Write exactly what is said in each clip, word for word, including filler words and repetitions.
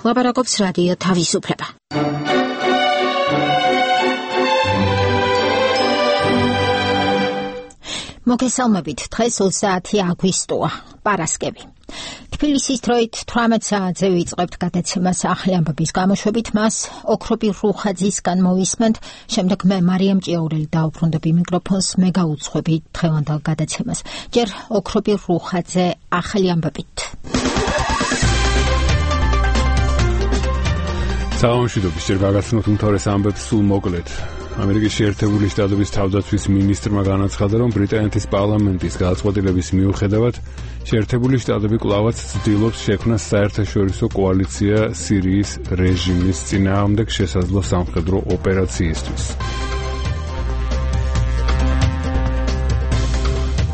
ლაპარაკობს რადიო თავისუფლება. მოგესალმებით, დღეს ოცდაათი აგვისტოა, პარასკევი. თბილისის დროით თვრამეტ საათზე ვიწყებთ გადაცემას ახალი ამბების გამოშვებით, მას ოქრობი რუხაძისგან მოვისმენთ, შემდეგ მე მარიამ ჭიაურელი დაუბრუნდები მიკროფონს, მე გაუძღვები დღევანდელ გადაცემას. ჯერ ოქრობი რუხაძე ახალი ამბებით. საამშვიდობის ჯერ გაგაცნოთ უმთავრეს ამბებს სულ მოკლედ. ამერიკის შეერთებული შტატების თავდაცვის მინისტრმა განაცხადა, რომ ბრიტანეთის პარლამენტის გადაწყვეტილების მიუხედავად შეერთებული შტატები კვლავაც ცდილობს შექმნას საერთაშორისო კოალიცია სირიის რეჟიმის წინააღმდეგ შესაძლო სამხედრო ოპერაციისთვის.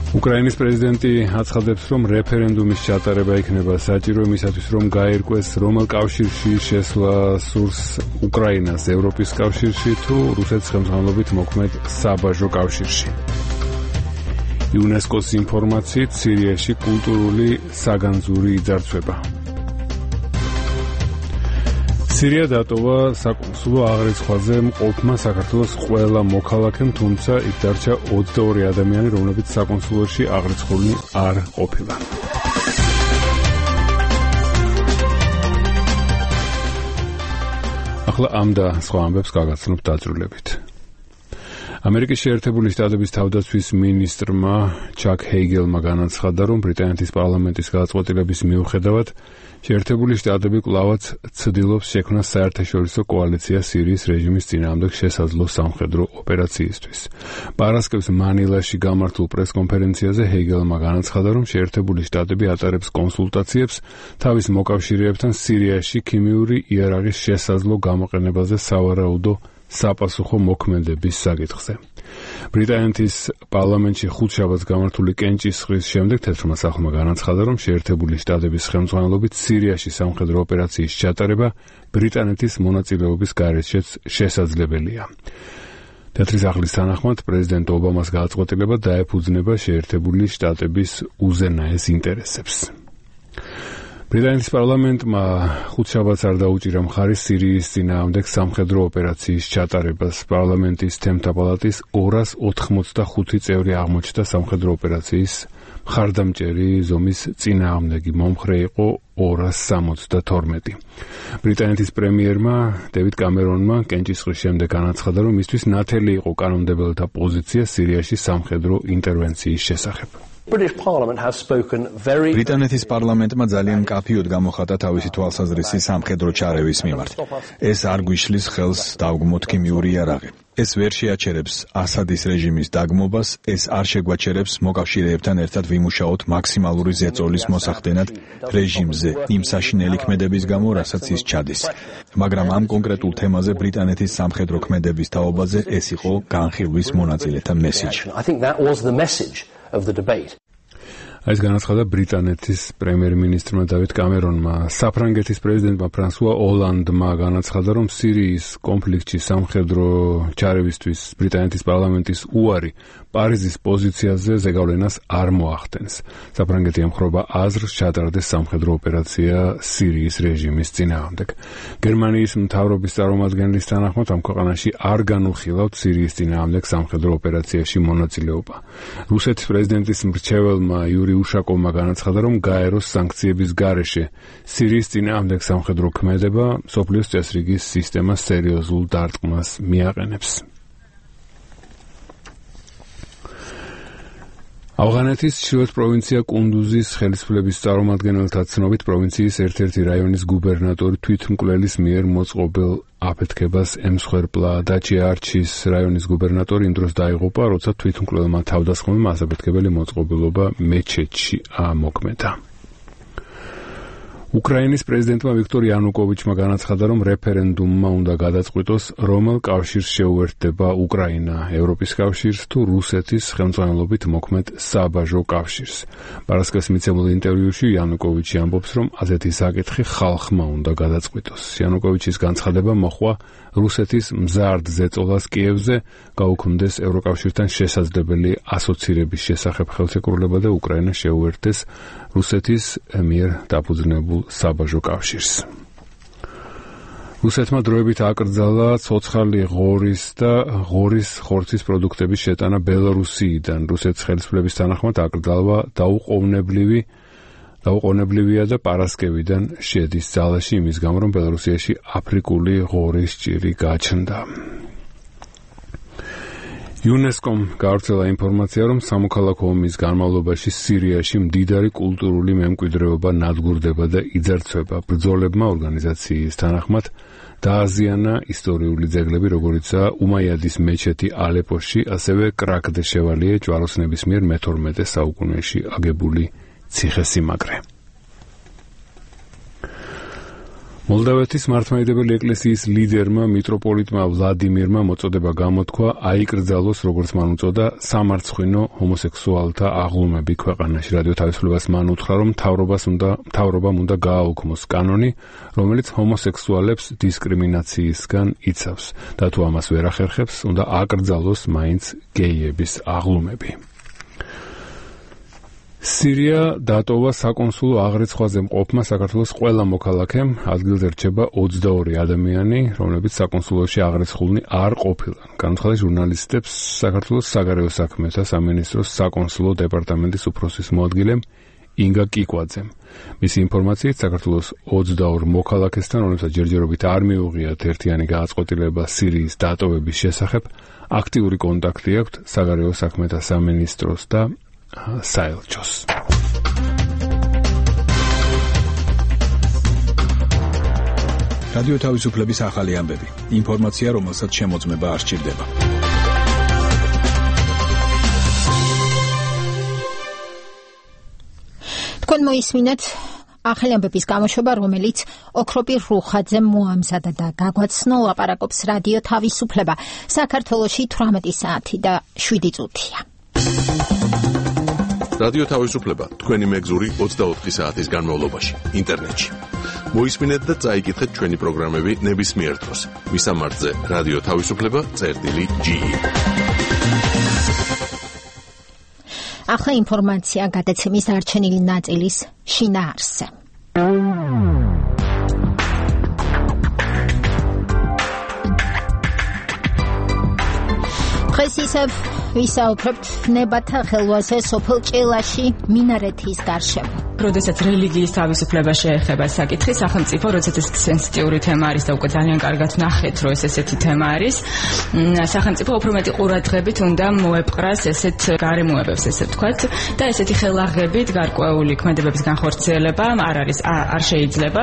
უკრაინის პრეზიდენტი აცხადებს, რომ რეფერენდუმის ჩატარება იქნება საჭირო იმისათვის, რომ გაერკვეს რომელ კავშირში შესვლა სურს უკრაინას ევროპის კავშირში თუ რუსეთის ხელმძღვანელობით მოქმედ საბაჟო კავშირში. იუნესკოს ინფორმაციით სირიაში კულტურული საგანძური იძარცვება. სირია დატოვა საკონსულო აღრიცხვაზე მყოფმა საქართველოს ყველა მოქალაქემ, თუმცა იქ დარჩა ოცდაორი ადამიანი, რომლებიც საკონსულოში აღრიცხული არ ყოფილა. ახლა ამ და სხვა ამბებს გაგაცნობთ დაწვრილებით. ამერიკის შეერთებული შტატების თავდაცვის მინისტრმა ჩაკ ჰეიგელმა განაცხადა, რომ ბრიტანეთის პარლამენტის გადაწყვეტილების მიუხედავად შეერთებული შტატები კვლავაც ცდილობს შექმნას საერთაშორისო კოალიცია სირიის რეჟიმის წინააღმდეგ შესაძლო სამხედრო ოპერაციისთვის. პარასკევს მანილაში გამართულ პრესკონფერენციაზე ჰეიგელმა განაცხადა, რომ შეერთებული შტატები ატარებს კონსულტაციებს თავის მოკავშირეებთან სირიაში ქიმიური იარაღის შესაძლო გამოყენებაზე სავარაუდო საპასუხო მოქმედების საკითხზე. ბრიტანეთის პარლამენტში ხუთშაბათს გამართული კენჭისყრის შემდეგ თეთრმა სახლმა განაცხადა, რომ შეერთებული შტატების ხელმძღვანელობით სირიაში სამხედრო ოპერაციის ჩატარება ბრიტანეთის მონაწილეობის გარეშეც შესაძლებელია. თეთრი სახლის თანახმად პრეზიდენტ ობამას გადაწყვეტილება დაეფუძნება შეერთებული შტატების უზენაეს ინტერესებს. ბრიტანეთის პარლამენტმა ხუთშაბათს არ დაუჭირა მხარის სირიის წინააღმდეგ სამხედრო ოპერაციის ჩატარებას. პარლამენტის თემთა პალატის ორას ოთხმოცდახუთი წევრი აღმოჩნდა სამხედრო ოპერაციის მხარდამჭერი ზომის წინააღმდეგი, მომხრე იყო ორას სამოცდათორმეტი. ბრიტანეთის პრემიერმა დევიდ კამერონმა კენჭისყრის შემდეგ განაცხადა, რომ მისთვის ნათელი იყო კანონმდებელთა პოზიცია სირიაში სამხედრო ინტერვენციის შესახებ. ბრიტანეთის პარლამენტმა ძალიან მკაფიოდ გამოხატა თავისი თვალსაზრისი სამხედრო ჩარევის მიმართ. ეს არ გვიშლის ხელს დავგმოთ ქიმიური იარაღი. ეს ვერ შეაჩერებს ასადის რეჟიმის დაგმობას, ეს არ შეგვაჩერებს მოკავშირეებთან ერთად ვიმუშაოთ მაქსიმალური ზეწოლის მოსახდენად რეჟიმზე იმ საშინელი ქმედების გამო, რასაც ის ჩადის. მაგრამ ამ კონკრეტულ თემაზე ბრიტანეთის სამხედრო ქმედების თაობაზე ეს იყო განხილვის მონაწილეთა მესიჯი. ეს განაცხადა ბრიტანეთის პრემიერ-მინისტრმა დავიდ კამერონმა. საფრანგეთის პრეზიდენტმა ფრანსუა ოლანდმა განაცხადა, რომ სირიის კონფლიქტში სამხედრო ჩარევისთვის ბრიტანეთის პარლამენტის უარი პარიზის პოზიციაზე ზეგავლენას არ მოახდენს. საფრანგეთი ემხრობა აზრს ჩატარდეს სამხედრო ოპერაცია სირიის რეჟიმის წინააღმდეგ. გერმანიის მთავრობის წარმომადგენლის თანახმად ამ ქვეყანაში არ განუხილავთ სირიის წინააღმდეგ სამხედრო ოპერაციაში მონაწილეობა. რუსეთის პრეზიდენტის მრჩეველმა იური უშაკოვმა განაცხადა, რომ გაეროს სანქციების გარეშე სირიის წინააღმდეგ სამხედრო ქმედება მსოფლიოს წესრიგის სისტემას სერიოზულ დარტყმას მიაყენებს. ავღანეთის ჩრდილოეთ პროვინცია კუნდუზის ხელისუფლების წარმომადგენელთა ცნობით პროვინციის ერთ-ერთი რაიონის გუბერნატორი თვითმკვლელის მიერ მოწყობილ აფეთქებას ემსხვერპლა. დაჩია არჩის რაიონის გუბერნატორი იმ დროს დაიღუპა, როცა თვითმკვლელმა თავდასხმებმა ასაფეთქებელი მოწყობილობა მეჩეთში ამოქმედა. უკრაინის პრეზიდენტმა ვიქტორ იანუკოვიჩმა განაცხადა, რომ რეფერენდუმმა უნდა გადაწყვიტოს, რომელ კავშირს შეუერთდება უკრაინა, ევროპის კავშირს თუ რუსეთის ხელმძღვანელობით მოქმედ საბაჟო კავშირს. პარასკევს მიცემულ ინტერვიუში იანუკოვიჩი ამბობს, რომ ასეთი საკითხი ხალხმა უნდა გადაწყვიტოს. იანუკოვიჩის განცხადება მოჰყვა რუსეთის მზარდ ზეწოლას კიევზე, გაუქმდეს ევროკავშირთან შესაძლებელი ასოცირების შესახებ ხელშეკრულება და უკრაინა შეუერთდეს რუსეთის მიერ დაფუძნებულ საბაჟო კავშირს. რუსეთმა დროებით აკრძალა ცოცხალი ღორის და ღორის ხორცის პროდუქტების შეტანა ბელორუსიიდან. რუსეთის ხელისუფლების თანახმად აკრძალვა დაუყოვნებლივი დაუყოვნებლებია და პარასკევიდან შედის ძალაში იმის გამო, რომ ბელორუსიაში აფრიკული ღორის ჭირი გაჩნდა. იუნესკომ გავრცელა ინფორმაცია, რომ სამოქალაქო ომის განმავლობაში სირიაში მდიდარი კულტურული მემკვიდრეობა ნადგურდება და იძარცვება. ბრძოლებმა ორგანიზაციის თანახმად დააზიანა ისტორიული ძეგლები, როგორიცაა უმაიადის მეჩეთი ალეპოში, ასევე კრაკ-დე-შევალიე ჯვაროსნების მიერ მეთორმეტე საუკუნეში აგებული ციხესიმაგრე. მოლდავეთის მართლმადიდებელი ეკლესიის ლიდერმა მიტროპოლიტმა ვლადიმირმა მოწოდება გამოთქვა აიკრძალოს, როგორც მან უწოდა, სამარცხვინო ჰომოსექსუალთა აღლუმები ქვეყანაში. რადიო თავისუფლებას მან უთხრა, რომ მთავრობას უნდა მთავრობამ უნდა გააუქმოს კანონი, რომელიც ჰომოსექსუალებს დისკრიმინაციისგან იცავს და თუ ამას ვერ ახერხებს, უნდა აკრძალოს მაინც გეიების აღლუმები. სირია დატოვა საკონსულო აღრიცხვაზე მყოფმა საქართველოს ყველა მოქალაქემ. ადგილზე რჩება ოცდაორი ადამიანი, რომლებიც საკონსულოში აღრიცხულნი არ ყოფილან. განაცხადა ჟურნალისტებს საქართველოს საგარეო საქმეთა სამინისტროს საკონსულო დეპარტამენტის უფროსის მოადგილემ ინგა კიკვაძემ. მისი ინფორმაციით, საქართველოს ოცდაორ მოქალაქესთან, რომლებსაც ჯერჯერობით არ მიუღიათ ერთიანი გააწყვეტილება სირიის დატოვების შესახებ, აქტიური კონტაქტი აქვთ საგარეო საქმეთა სამინისტროს და საელჩოს. რადიო თავისუფლების ახალი ამბები. ინფორმაცია, რომელსაც შემოწმება არ სჭირდება. თქვენ მოისმინეთ ახალი ამბების გამოშვება, რომელიც ოქროპირ რუხაძემ მოამზადა და გაგვაცნო. ლაპარაკობს რადიო თავისუფლება. საქართველოში თვრამეტი საათი და შვიდი წუთია. რადიო თავისუფლება თქვენი მეგზური ოცდაოთხი საათის განმავლობაში ინტერნეტში. მოისმინეთ და წაიკითხეთ ჩვენი პროგრამები ნებისმიერ დროს. მისამართზე რადიო თავისუფლება წერტილი ჯი ი. ახლა ინფორმაცია გადაცემის დარჩენილი ნაწილის შინაარსზე. დღეს ისევ ვისაუბრებთ ნებათა ხელვაზე სოფელ ჭელაში მინარეთის გარშემო. როდესაც რელიგიის თავისუფლება შეეხება საკითხი, სახელმწიფო, როდესაც ეს სენსიტიური თემა არის და უკვე ძალიან კარგად ნახეთ, რომ ეს ესეთი თემა არის, სახელმწიფო უფრო მეტი ყურადღებით უნდა მოეპყრას ესეთ გარემოებებს, ესე ვთქვათ, და ესეთი ხელაღებით გარკვეული ქმედებების განხორციელება არ არის არ შეიძლება.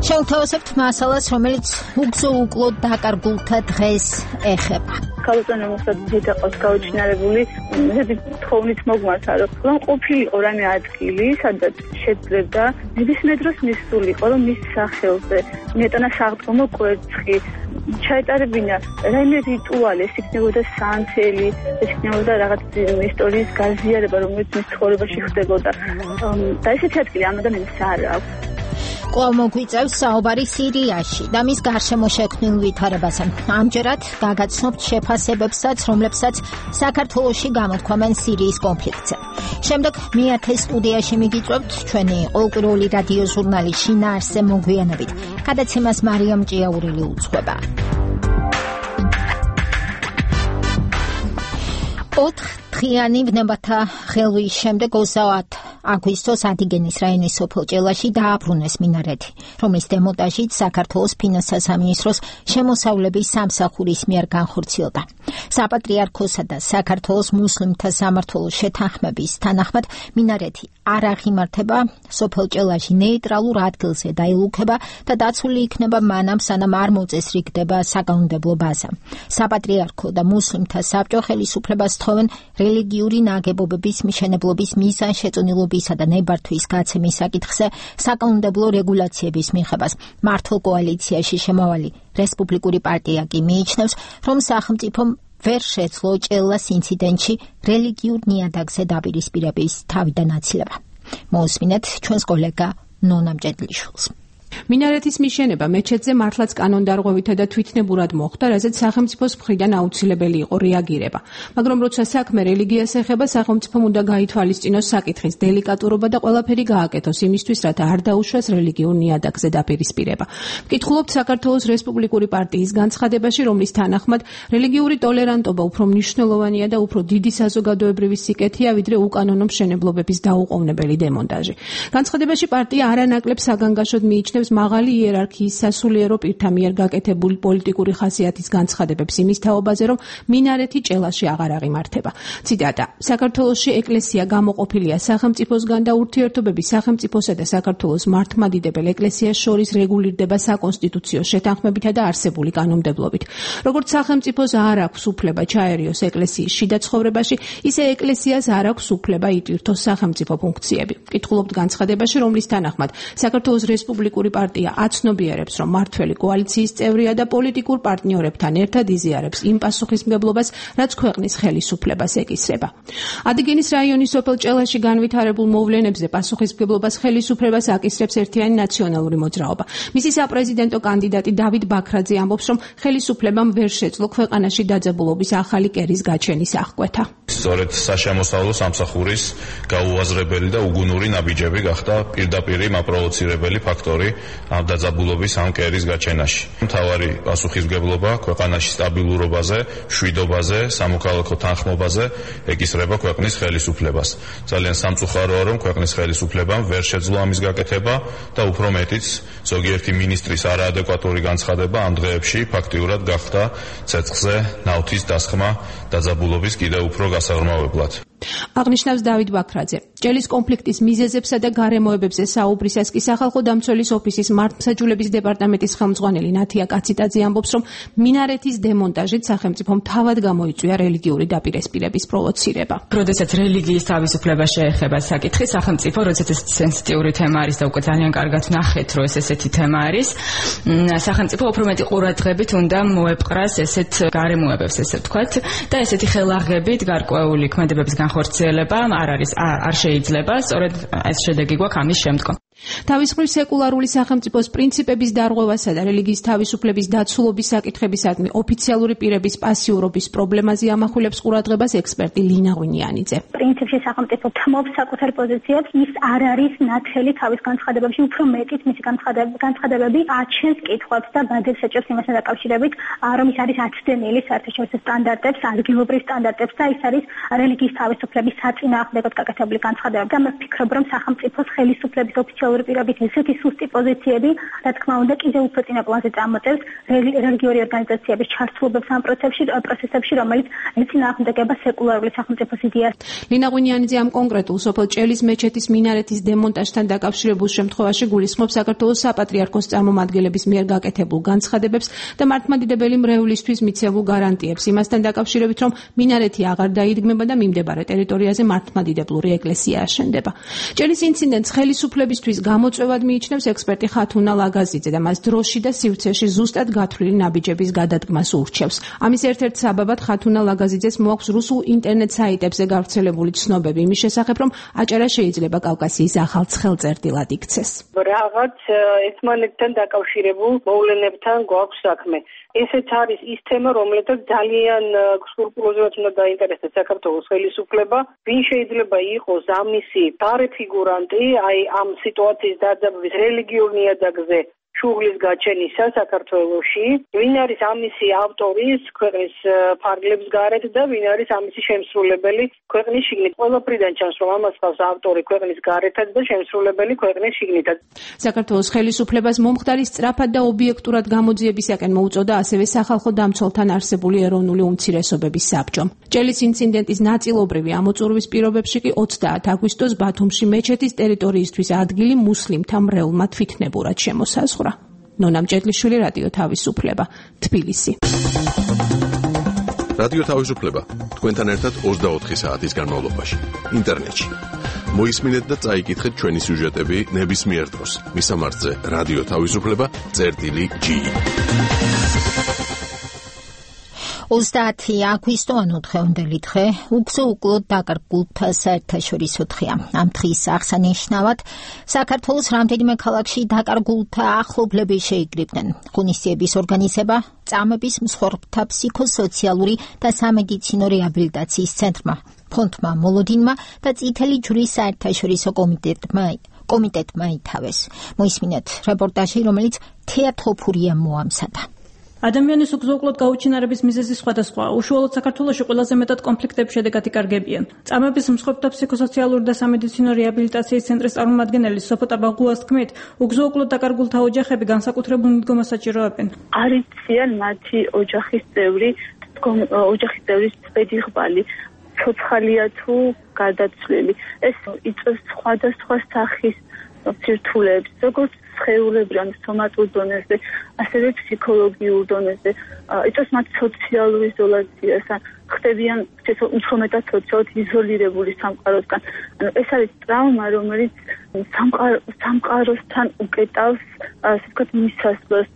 შევთავაზებთ მასალას, რომელიც უგზო უკლოდ დაკარგულთა დღეს ეხება. ქალწუნა მოხდა დიდაყოს გაუჩინარებული, ზედი თხოვნით მოგმართა, რომ ყოფილიყო რამე ადგილი, სადაც შეძლებდა ნებისმიერ დროს მისულიყო, რომ მის სახელზე მეტანა საღდგომო კვერცხი ჩაეტარებინა რაიმე რიტუალი, ეს იქნებოდა სანთელი, ეს იქნებოდა რაღაც ისტორიის გაზიარება, რომელიც მის ცხოვრებაში ხდებოდა. და ესეთი ადგილი ამ ადამიანს არ აქვს. კვლავ მოგვიწევს საუბარი სირიაში და მის გარშემო შექმნილ ვითარებაზე. ამჯერად გაგაცნობთ შეფასებებსაც, რომლებსაც საქართველოში გამოთქვამენ სირიის კონფლიქტზე. შემდეგ მეათე სტუდიაში მიგიწევთ ჩვენი ყოველკვირეული რადიო ჟურნალი შინაარსზე მოგვიანებით. გადაცემას მარიამ ჭიაურელი უძღვება. ოთხ დღიანი ნებათა ხელვის შემდეგ ოცდაათი აგვისტოს ადიგენის რაიონის სოფელ ჭელაში დააბრუნეს მინარეთი, რომლის დემონტაჟით საქართველოს ფინანსთა სამინისტროს შემოსავლების სამსახურის მიერ განხორციელდა. საპატრიარქოსა და საქართველოს მუსლიმთა სამმართველოს შეთანხმების თანახმად მინარეთი არ აღიმართება სოფელ ჭელაში ნეიტრალურ ადგილზე დაილუქება და დაცული იქნება მანამ, სანამ არ მოწესრიგდება საკანონმდებლო ბაზა. საპატრიარქო და მუსლიმთა საბჭო ხელისუფლებას თხოვენ რელიგიური ნაგებობების მშენებლობის მიზანშეწონილობისა და ნებართვის გაცემის საკითხზე საკანონმდებლო რეგულაციების მიღებას. მართლ კოალიციაში შემავალი რესპუბლიკური პარტია კი მიიჩნევს, რომ სახელმწიფომ ვერ შეძლო ჭელას ინციდენტში რელიგიურ ნიადაგზე დაპირისპირების თავიდან აცილება. მოусმინეთ ჩვენს კოლეგა ნონა მჭედლიშვილს. მინარეთის მიშენება მეჩეთზე მართლაც კანონდარღვევითა და თვითნებურად მოხდა, რაზეც სახელმწიფოს მხრიდან აუცილებელი იყო რეაგირება. მაგრამ როცა საქმე რელიგიას ეხება, სახელმწიფომ უნდა გაითვალისწინოს საკითხის დელიკატურობა და ყველაფერი გააკეთოს იმისთვის, რათა არ დაუშვას რელიგიურ ნიადაგზე დაპირისპირება. ვკითხულობთ საქართველოს რესპუბლიკური პარტიის განცხადებაში, რომლის თანახმად რელიგიური ტოლერანტობა უფრო მნიშვნელოვანია და უფრო დიდი საზოგადოებრივი სიკეთეა, ვიდრე უკანონო მშენებლობების დაუყოვნებელი დემონტაჟი. განცხადებაში პარტია არანაკლებ საგანგაშოდ მიიჩნევს მაღალი იერარქიის სასულიერო პირთა მიერ გაკეთებული პოლიტიკური ხასიათის განცხადებებს იმის თაობაზე, რომ მინარეთი ჭელაში აღარ აღიმართება. ციტატა: საქართველოში ეკლესია გამოყოფილია სახელმწიფოსგან და ურთიერთობები სახელმწიფოსა და საქართველოს მართლმადიდებელ ეკლესიას შორის რეგულირდება საკონსტიტუციო შეთანხმებითა და არსებული კანონმდებლობით. როგორც სახელმწიფოს არ აქვს უფლება ჩაერიოს ეკლესიის შიდა ცხოვრებაში, ისე ეკლესიას არ აქვს უფლება იტვირთოს სახელმწიფო ფუნქციები. ვკითხულობთ განცხადებაში, რომლის თანახმად საქართველოს რესპუბლიკური პარტია აცნობიერებს, რომ მართველი კოალიციის წევრია და პოლიტიკურ პარტნიორებთან ერთად იზიარებს იმ პასუხისმგებლობას, რაც ქვეყნის ხელისუფლებას ეკისრება. ადიგენის რაიონის სოფელ ჭელაში განვითარებულ მოვლენებზე პასუხისმგებლობას ხელისუფლებას აკისრებს ერთიანი ნაციონალური მოძრაობა. მისი საპრეზიდენტო კანდიდატი დავით ბაქრაძე ამბობს, რომ ხელისუფლებამ ვერ შეძლო ქვეყანაში დაძაბულობის ახალი კერის გაჩენის აღკვეთა. სწორედ საშემოსავლო სამსახურის გაუაზრებელი და უგუნური ნაბიჯები გახდა პირდაპირი მაპროვოცირებელი ფაქტორი ამ დაძაბულობის ამ კერის გაჩენაში. მთავარი პასუხისმგებლობა ქვეყანაში სტაბილურობაზე, მშვიდობაზე, სამოქალაქო თანხმობაზე ეკისრება ქვეყნის ხელისუფლებას. ძალიან სამწუხაროა, რომ ქვეყნის ხელისუფლებამ ვერ შეძლო ამის გაკეთება და უფრო მეტიც ზოგიერთი მინისტრის არაადეკვატური განცხადება ამ დღეებში ფაქტიურად გახდა ცეცხლზე ნავთის დასხმა დაძაბულობის კიდევ უფრო გასაღრმავებლად. აღნიშნავს დავით ბაქრაძე. ჭელის კონფლიქტის მიზეზებსა და გარემოებებზე საუბრისას კი სახალხო დამცველის ოფისის მართლმსაჯულების დეპარტამენტის ხელმძღვანელი ნათია კაციტაძე ამბობს, რომ მინარეთის დემონტაჟით სახელმწიფომ თავად გამოიწვია რელიგიური დაპირისპირების პროვოცირება. როდესაც რელიგიის თავისუფლება შეეხება საკითხი, სახელმწიფო, როდესაც ეს სენსიტიური თემა არის და უკვე ძალიან კარგად ნახეთ, რომ ეს ესეთი თემა არის, სახელმწიფო უფრო მეტი ყურადღებით უნდა მოეპყრას ესეთ გარემოებებს, ესე ვთქვათ, და ესეთი ხელაღებით გარკვეული ქმედებების განხორციელება არ არის არ შეიძლება, სწორედ ეს შედეგი გვაქვს ამის შემდგომ. თავის მხრივ სეკულარული სახელმწიფოს პრინციპების დარღვევასა და რელიგიის თავისუფლების დაცულობის საკითხებისადმი ოფიციალური პირების პასიურობის პრობლემაზე ამახვილებს ყურადღებას ექსპერტი ლინა ღვინიანიძე. პრინციპში სახელმწიფო თმობს საკუთარ პოზიციებს, ის არ არის ნათელი თავის განცხადებებში, უფრო მეტიც მისი განცხადებები აჩენს კითხვებს და ბადებს ეჭვს იმასთან დაკავშირებით, რომ ის არის აცდენილი საერთაშორისო სტანდარტებს, ადგილობრივ სტანდარტებს და ის არის რელიგიის თავისუფლების საწინააღმდეგოდ გაკეთებული განცხადებები. და მე ვფიქრობ, რომ სახელმწიფოს ხელისუფლების ოფიციალური პირობით ესეთი სუსტი პოზიციები, რა თქმა უნდა, კიდევ უფრო წინა პლანზე წამოწევს რელიგიური ორგანიზაციების ჩართულობებს ამ პროცესებში, პროცესებში, რომელიც ეწინააღმდეგება სეკულარული სახელმწიფოს იდეას. ლინა ღვინიანიძე ამ კონკრეტულ სოფელ ჭელის მეჩეთის მინარეთის დემონტაჟთან დაკავშირებულ შემთხვევაში გულისხმობს საქართველოს საპატრიარქოს წარმომადგენლების მიერ გაკეთებულ განცხადებებს და მართლმადიდებელი მრევლისთვის მიცემულ გარანტიებს იმასთან დაკავშირებით, რომ მინარეთი აღარ დაიდგმება და მიმდებარე ტერიტორიაზე მართლმადიდებლური ეკლესია აშენდება. ჭელის ინციდენტს ხელისუფლებისთვის გამოწვევად მიიჩნევს ექსპერტი ხათუნა ლაგაზიძე და მას დროში და სივრცეში ზუსტად გათვლილი ნაბიჯების გადადგმას ურჩევს. ამის ერთ-ერთ საბაბად ხათუნა ლაგაზიძეს მოაქვს რუსულ ინტერნეტ საიტებზე გავრცელებული ცნობები იმის შესახებ, რომ აჭარა შეიძლება კავკასიის ახალ ცხელწერტილად იქცეს. რაღაც ერთმანეთთან დაკავშირებულ მოვლენებთან გვაქვს საქმე. ესეც არის ის თემა, რომელსაც ძალიან სკრუპულოზურად უნდა დაინტერესდეს საქართველოს ხელისუფლება. ვინ შეიძლება იყოს ამისი გარეფიგურანტი, აი ამ სიტუაციის დაძაბვის რელიგიურ ნიადაგზე შუღლის გაჩენისა საქართველოში, ვინ არის ამისი ავტორის ქვეყნის ფარგლებს გარეთ და ვინ არის ამისი შემსრულებელი ქვეყნის შიგნით. ყველაფრიდან ჩანს, რომ ამას ყავს ავტორი ქვეყნის გარეთაც და შემსრულებელი ქვეყნის შიგნითაც. საქართველოს ხელისუფლებას მომხდარი სწრაფად და ობიექტურად გამოძიებისაკენ მოუწოდა ასევე სახალხო დამცველთან არსებული ეროვნული უმცირესობების საბჭომ. ჭელის ინციდენტის ნაწილობრივი ამოწურვის პირობებში კი ოცდაათი აგვისტოს ბათუმში მეჩეთის ტერიტორიისთვის ადგილი მუსლიმთა მრევლმა თვითნებურად შემოსაზღვრა. ნონა მჭედლიშვილი, რადიო თავისუფლება, თბილისი. რადიო თავისუფლება თქვენთან ერთად ოცდაოთხი საათის განმავლობაში ინტერნეტში. მოისმინეთ და წაიკითხეთ ჩვენი სიუჟეტები ნებისმიერ დროს. მისამართზე რადიო თავისუფლება წერტილი ჯი. ოცდაათი აგვისტო ანუ დღევანდელი დღე უგზო უკლოდ დაკარგულთა საერთაშორისო დღეა. ამ დღის აღსანიშნავად საქართველოს რამდენიმე ქალაქში დაკარგულთა ახლობლები შეიკრიბნენ. ღონისძიების ორგანიზება წამების მსხვერპლთა ფსიქოსოციალური და სამედიცინო რეაბილიტაციის ცენტრმა, ფონდმა მოლოდინმა და წითელი ჯვრის საერთაშორისო კომიტეტმა კომიტეტმა ითავეს. მოისმინეთ რეპორტაჟი, რომელიც თეა თოფურიამ მოამზადა. ადამიანის უგზო-უკლოდ გაუჩინარების მიზეზი სხვადასხვაა. უშუალოდ საქართველოში ყველაზე მეტად კონფლიქტების შედეგად იკარგებიან. წამების მსხვერპლთა ფსიქოსოციალური და სამედიცინო რეაბილიტაციის ცენტრის წარმომადგენელი სოფო ტაბაღუას თქმით, უგზო-უკლოდ დაკარგულთა ოჯახები განსაკუთრებულ მიდგომას საჭიროებენ. არიციან მათი ოჯახის წევრი, ოჯახის წევრის პედიღბალი, ცოცხალია თუ გარდაცვლილი. ეს იწვევს სხვადასხვა სახის ცირთულებს, როგორც სხეულებრივ, სომატურ დონეზე, ასევე ფსიქოლოგიურ დონეზე, იწვევს მათ სოციალურ იზოლაციას, ხდებიან უფრო მეტად სოციალურად იზოლირებული სამყაროსგან. ანუ ეს არის ტრავმა, რომელიც სამყაროსთან უკეტავს, ასე ვთქვათ, მისასვლელს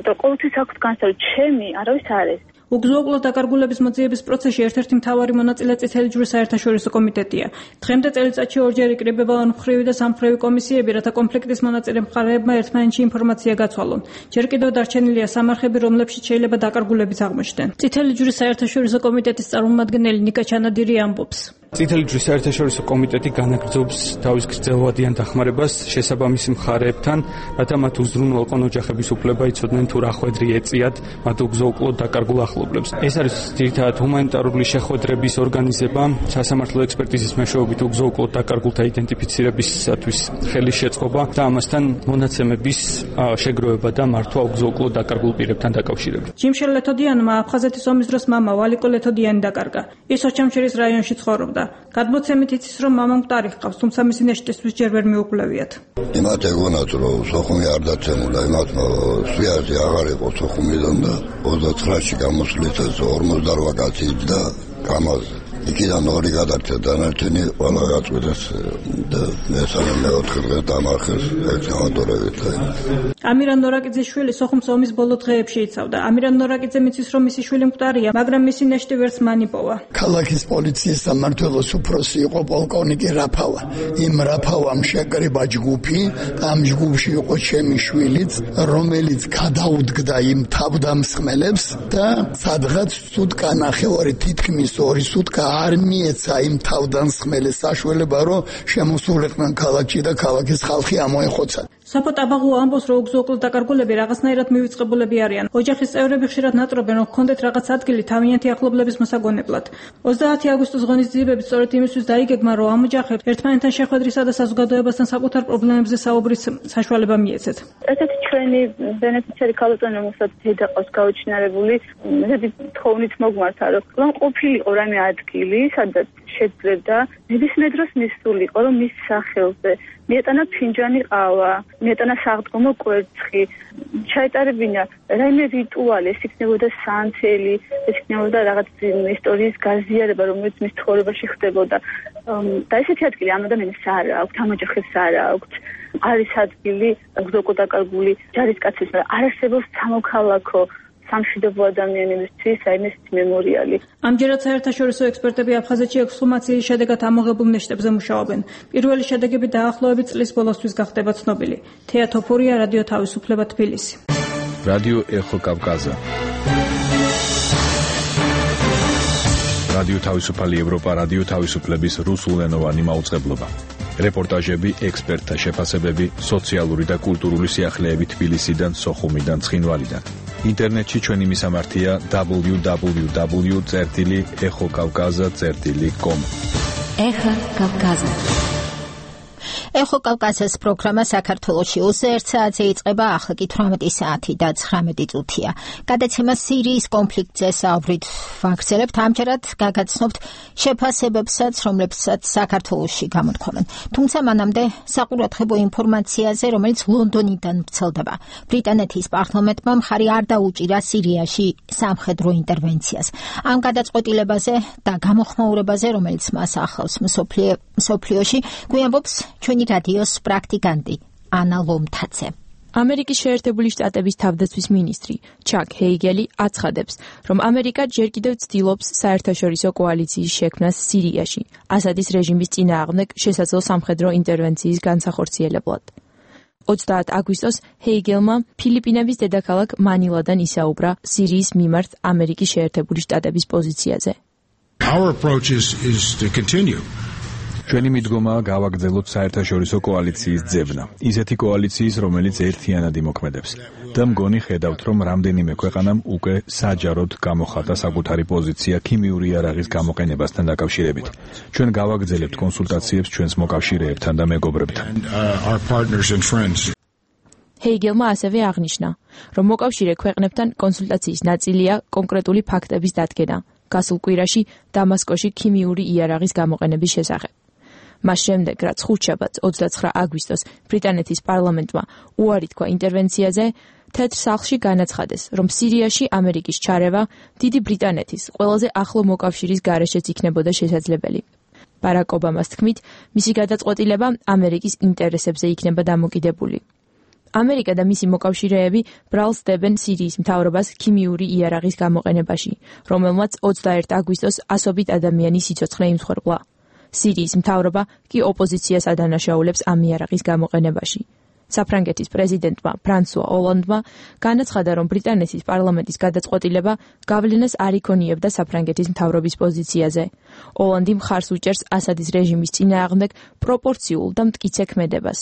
და ყოველთვის აქვს განსაზღვრა, ჩემი არავის არ ეს. უგზო-უკლოდ დაკარგულების მოძიების პროცესში ერთ-ერთი მთავარი მონაწილე წითელი ჯვრის საერთაშორისო კომიტეტია. დღემდე წელიწადში ორჯერ იკრიბება ორმხრივი და სამმხრივი კომისიები, რათა კონფლიქტის მონაწილე მხარეებმა ერთმანეთში ინფორმაცია გაცვალონ. ჯერ კიდევ დარჩენილია სამარხები, რომლებშიც შეიძლება დაკარგულებიც აღმოჩნდნენ. წითელი ჯვრის საერთაშორისო კომიტეტის წარმომადგენელი ნიკა ჩანადირი ამბობს. წითელი ჯვრის საერთაშორისო კომიტეტი განაგრძობს თავის გრძელვადიან დახმარებას შესაბამისი მხარეებთან, რათა მათ უზრუნველყონ ოჯახების უფლება, იცოდნენ თუ რა ხვედრი ეწიათ მათ უგზო-უკლოდ დაკარგულ ახლობლებს. ეს არის ძირითადად ჰუმანიტარული შეხვედრების ორგანიზება, სასამართლო ექსპერტიზის მეშვეობით უგზო-უკლოდ დაკარგულთა იდენტიფიცირებისათვის ხელის შეწყობა და ამასთან მონაცემების შეგროვება და მართვა უგზო-უკლოდ დაკარგულ პირებთან დაკავშირებით. ჯიმშელ ლეთოდიანმა აფხაზეთის ომის დროს მამა ვალიკო ლეთოდიანი დაკარგა. ის ოჩამჩირის რაიონში ცხოვრობდა. გადმოცემით იცის, რომ მამა მკვდარი ჰყავს, თუმცა მისი ნეშტისთვის ჯერ ვერ მიუκვლევიათ. იმათ ეგონათ, რომ სოხუმი არ დაცემულა, იმათ სვიაზი აღარ იყო სოხუმიდან და ოცდათხრაში გამოსვლით ორმოცდაოთხ კაცით და გამაზე. იქიდან ორი გადარჩა დანარჩენი ყველა გაწყვეტეს და მესამე მეოთხე დღე დამარხეს ექსკავატორებით. ამირან ნორაკიძის შვილი სოხუმს ომის ბოლო დღეებში იცავდა. ამირან ნორაკიძე მიცის, რომ მისი შვილი მკვდარია, მაგრამ მისი ნეშტი ვერც მან იპოვა. ქალაქის პოლიციის სამმართველოს უფროსი იყო პოლკოვნიკი რაფავა. იმ რაფავამ შეკრიბა ჯგუფი, ამ ჯგუფში იყო ჩემი შვილიც, რომელიც გადაუდგდა იმ თავდამსხმელებს და სადღაც სუტკა ნახევარი თითქმის ორი სუტკა არ მიეცა იმ თავდამსხმელის საშუალება, რომ შემოსულიყვნენ ქალაქში და ქალაქის ხალხი ამოეხოცა. სოფო ტაბაღუა ამბობს, რომ უგზო-უკლოდ დაკარგულები რაღაცნაირად მივიწყებულები არიან. ოჯახის წევრები ხშირად ნატრობენ, რომ ჰქონდეთ რაღაც ადგილი თავიანთი ახლობლების მოსაგონებლად. ოცდაათი აგვისტოს ღონისძიებები სწორედ იმისთვის დაიგეგმა, რომ ამ ოჯახებს ერთმანეთთან შეხვედრისა და საზოგადოებასთან საკუთარ პრობლემებზე საუბრის საშუალება მიეცეთ. ესეთი ჩვენი ბენეფიციარი ქალბატონი, რომელსაც დედა ყავს გაუჩინარებული, ესეთი თხოვნით მოგმართა, რომ ყოფილიყო რამე ადგილი, სადაც შეძლებდა ნებისმიერ დროს მისულიყო, რომ მის სახელზე მიეტანა ფინჯანი ყავა, მიეტანა საღდგომო კვერცხი, ჩაეტარებინა რაიმე რიტუალი, ეს იქნებოდა სანთელი, ეს იქნებოდა რაღაც ისტორიის გაზიარება, რომელიც მის ცხოვრებაში ხდებოდა. და ესეთი ადგილი ამ ადამიანს არ აქვს, ამ ოჯახებს არ აქვს. არის ადგილი უგზო-უკლოდ დაკარგული ჯარისკაცების, მაგრამ არ არსებობს სამოქალაქო სამშვიდობო ადამიანებისთვის რაიმე მემორიალი. ამჯერად საერთაშორისო ექსპერტები აფხაზეთში ექსჰუმაციის შედეგად ამოღებულ ნეშტებზე მუშაობენ. პირველი შედეგები დაახლოებით წლის ბოლოსთვის გახდება ცნობილი. თეა თოფურია, რადიო თავისუფლება, თბილისი. რადიო ეხო კავკაზა. რადიო თავისუფალი ევროპა, რადიო თავისუფლების რუსულენოვანი მაუწყებლობა. რეპორტაჟები, ექსპერტთა შეფასებები, სოციალური და კულტურული სიახლეები თბილისიდან, სოხუმიდან, ცხინვალიდან. ინტერნეტში ჩვენი მისამართია დაბლიუ დაბლიუ დაბლიუ წერტილი ეხო კავკაზა წერტილი კომ. ეხო კავკაზა. ეხო კავკაზას პროგრამა საქართველოში ოცდაერთ საათზე იწყება, ახლა კი თვრამეტი საათი და ცხრამეტი წუთია. გადაცემა სირიის კონფლიქტზე საუბრით ვაგრძელებთ. ამჯერად გაგაცნობთ შეფასებებსაც, რომლებსაც საქართველოში გამოთქვამენ. თუმცა მანამდე საყურადღებო ინფორმაციაზე, რომელიც ლონდონიდან ვრცელდება. ბრიტანეთის პარლამენტმა მხარი არ დაუჭირა სირიაში სამხედრო ინტერვენციას. ამ გადაწყვეტილებაზე და გამოხმაურებაზე, რომელიც მას ახლავს მსოფლიოში, გვიამბობს ჩვენი რადიოს პრაქტიკანტი ანა ლომთაძე. ამერიკის შეერთებული შტატების თავდაცვის მინისტრი ჩაკ ჰეიგელი აცხადებს, რომ ამერიკა ჯერ კიდევ ცდილობს საერთაშორისო კოალიციის შექმნას სირიაში, ასადის რეჟიმის წინააღმდეგ შესაძლო სამხედრო ინტერვენციის განსახორციელებლად. ოცდაათი აგვისტოს ჰეიგელმა ფილიპინების დედაქალაქ მანილადან ისაუბრა სირიის მიმართ ამერიკის შეერთებული შტატების პოზიციაზე. Our approach is is to continue. ჩვენი მიდგომაა გავაგრძელოთ საერთაშორისო კოალიციის ძებნა, ისეთი კოალიციის, რომელიც ერთიანად იმოქმედებს. და მგონი ხედავთ, რომ რამდენიმე ქვეყანამ უკვე საჯაროდ გამოხატა საკუთარი პოზიცია ქიმიური იარაღის გამოყენებასთან დაკავშირებით. ჩვენ გავაგრძელებთ კონსულტაციებს ჩვენს მოკავშირეებთან და მეგობრებთან. ჰეიგელმა ასევე აღნიშნა, რომ მოკავშირე ქვეყნებთან კონსულტაციის ნაწილია კონკრეტული ფაქტების დადგენა, გასულ კვირაში დამასკოში ქიმიური იარაღის გამოყენების შესახებ. მას შემდეგ, რაც ხუთშაბათს ოცდაცხრა აგვისტოს ბრიტანეთის პარლამენტმა უარი თქვა ინტერვენციაზე, თეთრ სახლში განაცხადეს, რომ სირიაში ამერიკის ჩარევა დიდი ბრიტანეთის ყველაზე ახლო მოკავშირის გარეშეც იქნებოდა შესაძლებელი. ბარაკ ობამას თქმით, მისი გადაწყვეტილება ამერიკის ინტერესებზე იქნება დამოკიდებული. ამერიკა და მისი მოკავშირეები ბრალს დებენ სირიის მთავრობას ქიმიური იარაღის გამოყენებაში, რომელმაც ოცდაერთი აგვისტოს ასობით ადამიანი სიცოცხლე იმსხვერპლა. სირიის მთავრობა კი ოპოზიციას ადანაშაულებს ამ იარაღის გამოყენებაში. საფრანგეთის პრეზიდენტმა ფრანსუა ოლანდმა განაცხადა, რომ ბრიტანეთის პარლამენტის გადაწყვეტილება გავლენას არ იქონიებდა საფრანგეთის მთავრობის პოზიციაზე. ოლანდი მხარს უჭერს ასადის რეჟიმის წინააღმდეგ პროპორციულ და მტკიცე ქმედებას.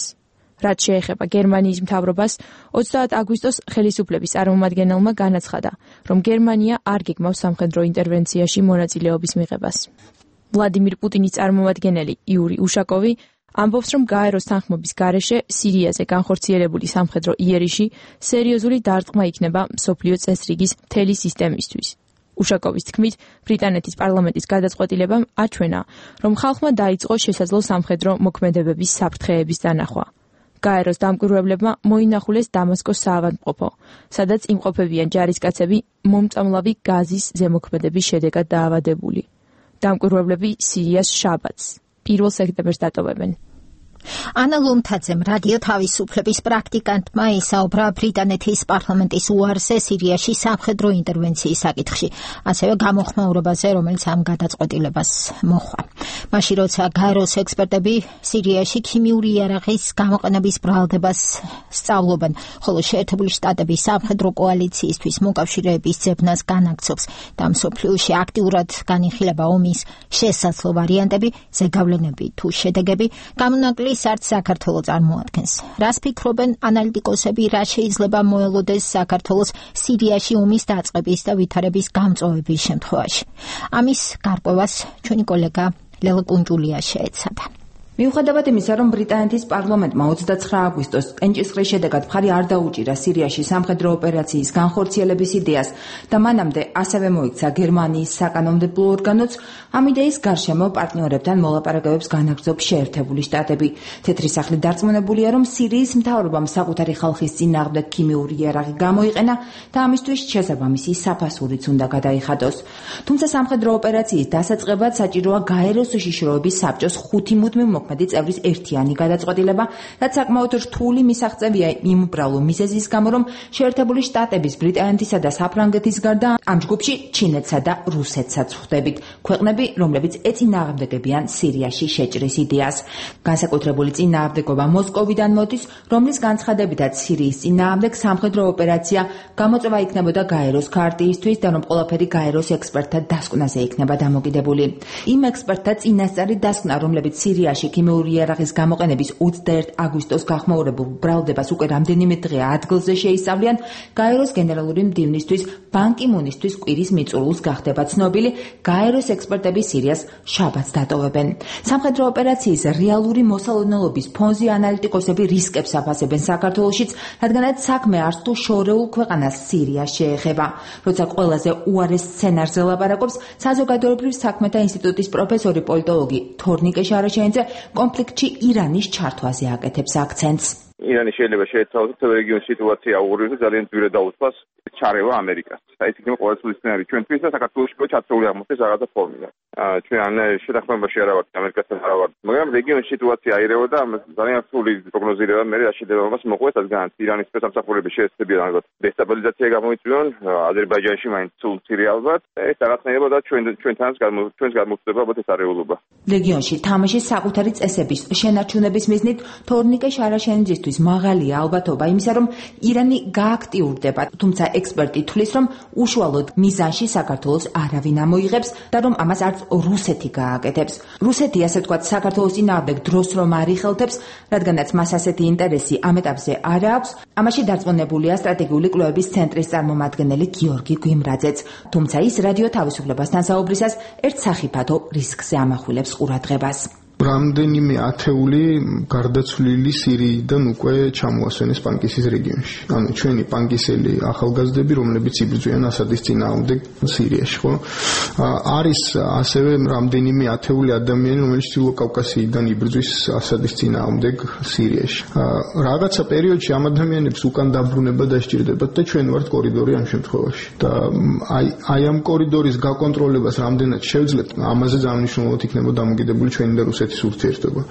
რაც შეეხება გერმანიის მთავრობას, ოცდაათი აგვისტოს ხელისუფლების წარმომადგენელმა განაცხადა, რომ გერმანია არ გეგმავს სამხედრო ინტერვენციაში მონაწილეობის მიღებას. ვლადიმირ პუტინის წარმომადგენელი იური უშაკოვი ამბობს, რომ გაეროს თანხმობის გარეშე სირიაზე განხორციელებული სამხედრო იერიში სერიოზული დარტყმა იქნება მსოფლიო წესრიგის მთელი სისტემისთვის. უშაკოვის თქმით, ბრიტანეთის პარლამენტის გადაწყვეტილებამ აჩვენა, რომ ხალხმა დაიწყო შესაძლო სამხედრო მოქმედებების საფრთხეების დანახვა. გაეროს დამკვირვებლებმა მოინახულეს დამასკოს საავადმყოფო, სადაც იმყოფებიან ჯარისკაცები მომწამლავი გაზის ზემოქმედების შედეგად დაავადებული. დამკვირვებლები სირიას შაბათს, პირველ სექტემბერს დატოვებენ. ანა ლუმთაძემ რადიო თავისუფლების პრაქტიკანტმა ისაუბრა ბრიტანეთის პარლამენტის უარზე სირიაში სამხედრო ინტერვენციის საკითხში, ასევე გამოხმაურებაზე, რომელიც ამ გადაწყვეტილებას მოჰყვა. მაშინ როცა გაეროს ექსპერტები სირიაში ქიმიური იარაღის გამოყენების ბრალდებას სწავლობენ, ხოლო შეერთებული შტატების სამხედრო კოალიციისთვის მოკავშირეების ძებნას განაგრძობს და მსოფლიოში აქტიურად განიხილება ომის შესაძლო ვარიანტები, ზეგავლენები თუ შედეგები, გამონაკლისს არც საქართველო წარმოადგენს. რას ფიქრობენ ანალიტიკოსები, რა შეიძლება მოელოდეს საქართველოს სირიაში ომის დაწყების და ვითარების გამწვავების შემთხვევაში? ამის გარკვევას ჩვენი კოლეგა ლელა კუნჯულია შეეცადა. მიუხედავად იმისა, რომ ბრიტანეთის პარლამენტმა ოცდაცხრა აგვისტოს კენჭისყრის შედეგად მხარი არ დაუჭირა სირიაში სამხედრო ოპერაციის განხორციელების იდეას და მანამდე ასევე მოიქცა გერმანიის საკანონმდებლო ორგანოც, ამ იდეის გარშემო პარტნიორებთან მოლაპარაკებებს განაგრძობს შეერთებული შტატები. თეთრი სახლი დარწმუნებულია, რომ სირიის მთავრობამ საკუთარი ხალხის წინააღმდეგ ქიმიური იარაღი გამოიყენა და ამისთვის შესაბამისი საფასურიც უნდა გადაიხადოს. თუმცა სამხედრო ოპერაციის დასაწყებად საჭიროა გაეროს უშიშროების საბჭოს ხუთი მუდმივ მოქმედი წევრის ერთიანი გადაწყვეტილება, რაც საკმაოდ რთული მისაღწევია იმ უბრალო მიზეზის გამო, რომ შეერთებული შტატების, ბრიტანეთისა და საფრანგეთის გარდა ამ ჯგუფში ჩინეთსა და რუსეთსაც ხვდებით, ქვეყნები, რომლებიც ეწინააღმდეგებიან სირიაში შეჭრის იდეას. განსაკუთრებული წინააღმდეგობა მოსკოვიდან მოდის, რომლის განცხადებითაც სირიის წინააღმდეგ სამხედრო ოპერაცია გამოწვევა იქნებოდა გაეროს ქარტიისთვის და რომ ყველაფერი გაეროს ექსპერტთა დასკვნაზე იქნება დამოკიდებული. იმ ექსპერტთა წინასწარი დასკვნა, რომლებიც სირიაში ქიმიური იარაღის გამოყენების ოცდაერთი აგვისტოს გახმაურებულ ბრალდებას უკვე რამდენიმე დღე ადგილზე შეისწავლიან, გაეროს გენერალური მდივნისთვის ბან კი მუნისთვის კვირის მიწურულს გახდება ცნობილი, გაეროს ექსპერტები სირიას შაბათს დატოვებენ. სამხედრო ოპერაციის რეალური მოსალოდნელობის ფონზე ანალიტიკოსები რისკებს აფასებენ საქართველოშიც, რადგანაც საქმე არც თუ შორეულ ქვეყანას სირიას შეეხება. როცა ყველაზე უარეს სცენარზე ლაპარაკობს, საზოგადოებრივ საქმეთა ინსტიტუტის პროფესორი პოლიტოლოგი თორნიკე შარაშენიძე კონფლიქტში ირანის ჩართვაზე აკეთებს აქცენტს. ირანი შეიძლება შეეცვალოს თელ რეგიონის სიტუაცია აუღრიოს და ძალიან ძვირად დაუწყოს ჩარევა ამერიკას. აი ეს იქნება ყოველთვის სცენარი ჩვენთვის და საქართველოს ჩათრული აღმოჩნდეს რაღაცა ფორმიდან. ჩვენ ან შეთანხმებაში არა ვართ ამერიკასთან არა ვართ, მაგრამ რეგიონის სიტუაცია აირევა და ძალიან რთული პროგნოზირება მე რაშიდებას მოყვეს რადგან ირანის სამსახურები შეეცდებიან ალბათ დესტაბილიზაცია გამოიწვიონ აზერბაიჯანში მაინც სულ მცირე ალბათ ეს რაღაცნაირად და ჩვენ ჩვენთანაც ჩვენს გამოწვევა ალბათ ეს არეულობა. რეგიონში თამაშის საკუთარი წესების შენარჩუნების მიზნით თორნიკე შარაშენიძისთვის მაღალია ალბათობა იმისა, რომ ირანი გააქტიურდება, თუმცა ექსპერტი თვლის, რომ უშუალოდ მიზანში საქართველოს არავინ ამოიღებს და რომ ამას არც რუსეთი გააკეთებს. რუსეთი, ასე ვთქვათ, საქართველოს წინააღმდეგ დროს რომ არ იხელთებს, რადგანაც მას ასეთი ინტერესი ამ ეტაპზე არ აქვს, ამაში დარწმუნებულია სტრატეგიული კვლევების ცენტრის წარმომადგენელი გიორგი გვიმრაძეც. თუმცა ის რადიო თავისუფლებასთან საუბრისას ერთ სახიფათო რისკზე ამახვილებს ყურადღებას. რამდენიმე ათეული გარდაცვლილი სირიიდან უკვე ჩამოასვენეს პანკისის რეგიონში. ანუ ჩვენი პანკისელი ახალგაზრდები, რომლებიც იბრძვიან ასადის წინააღმდეგ სირიაში, ხო? არის ასევე რამდენიმე ათეული ადამიანი, რომელიც ჩრდილო კავკასიიდან იბრძვის ასადის წინააღმდეგ სირიაში. რაღაცა პერიოდში ამ ადამიანებს უკან დაბრუნება დასჭირდებათ და ჩვენ ვართ კორიდორი ამ შემთხვევაში. და აი აი ამ კორიდორის გაკონტროლებას რამდენად შევძლებთ, ამაზე ძალიან მნიშვნელოვნად იქნება დამოკიდებული ჩვენი და რუსეთის ურთიერთობა.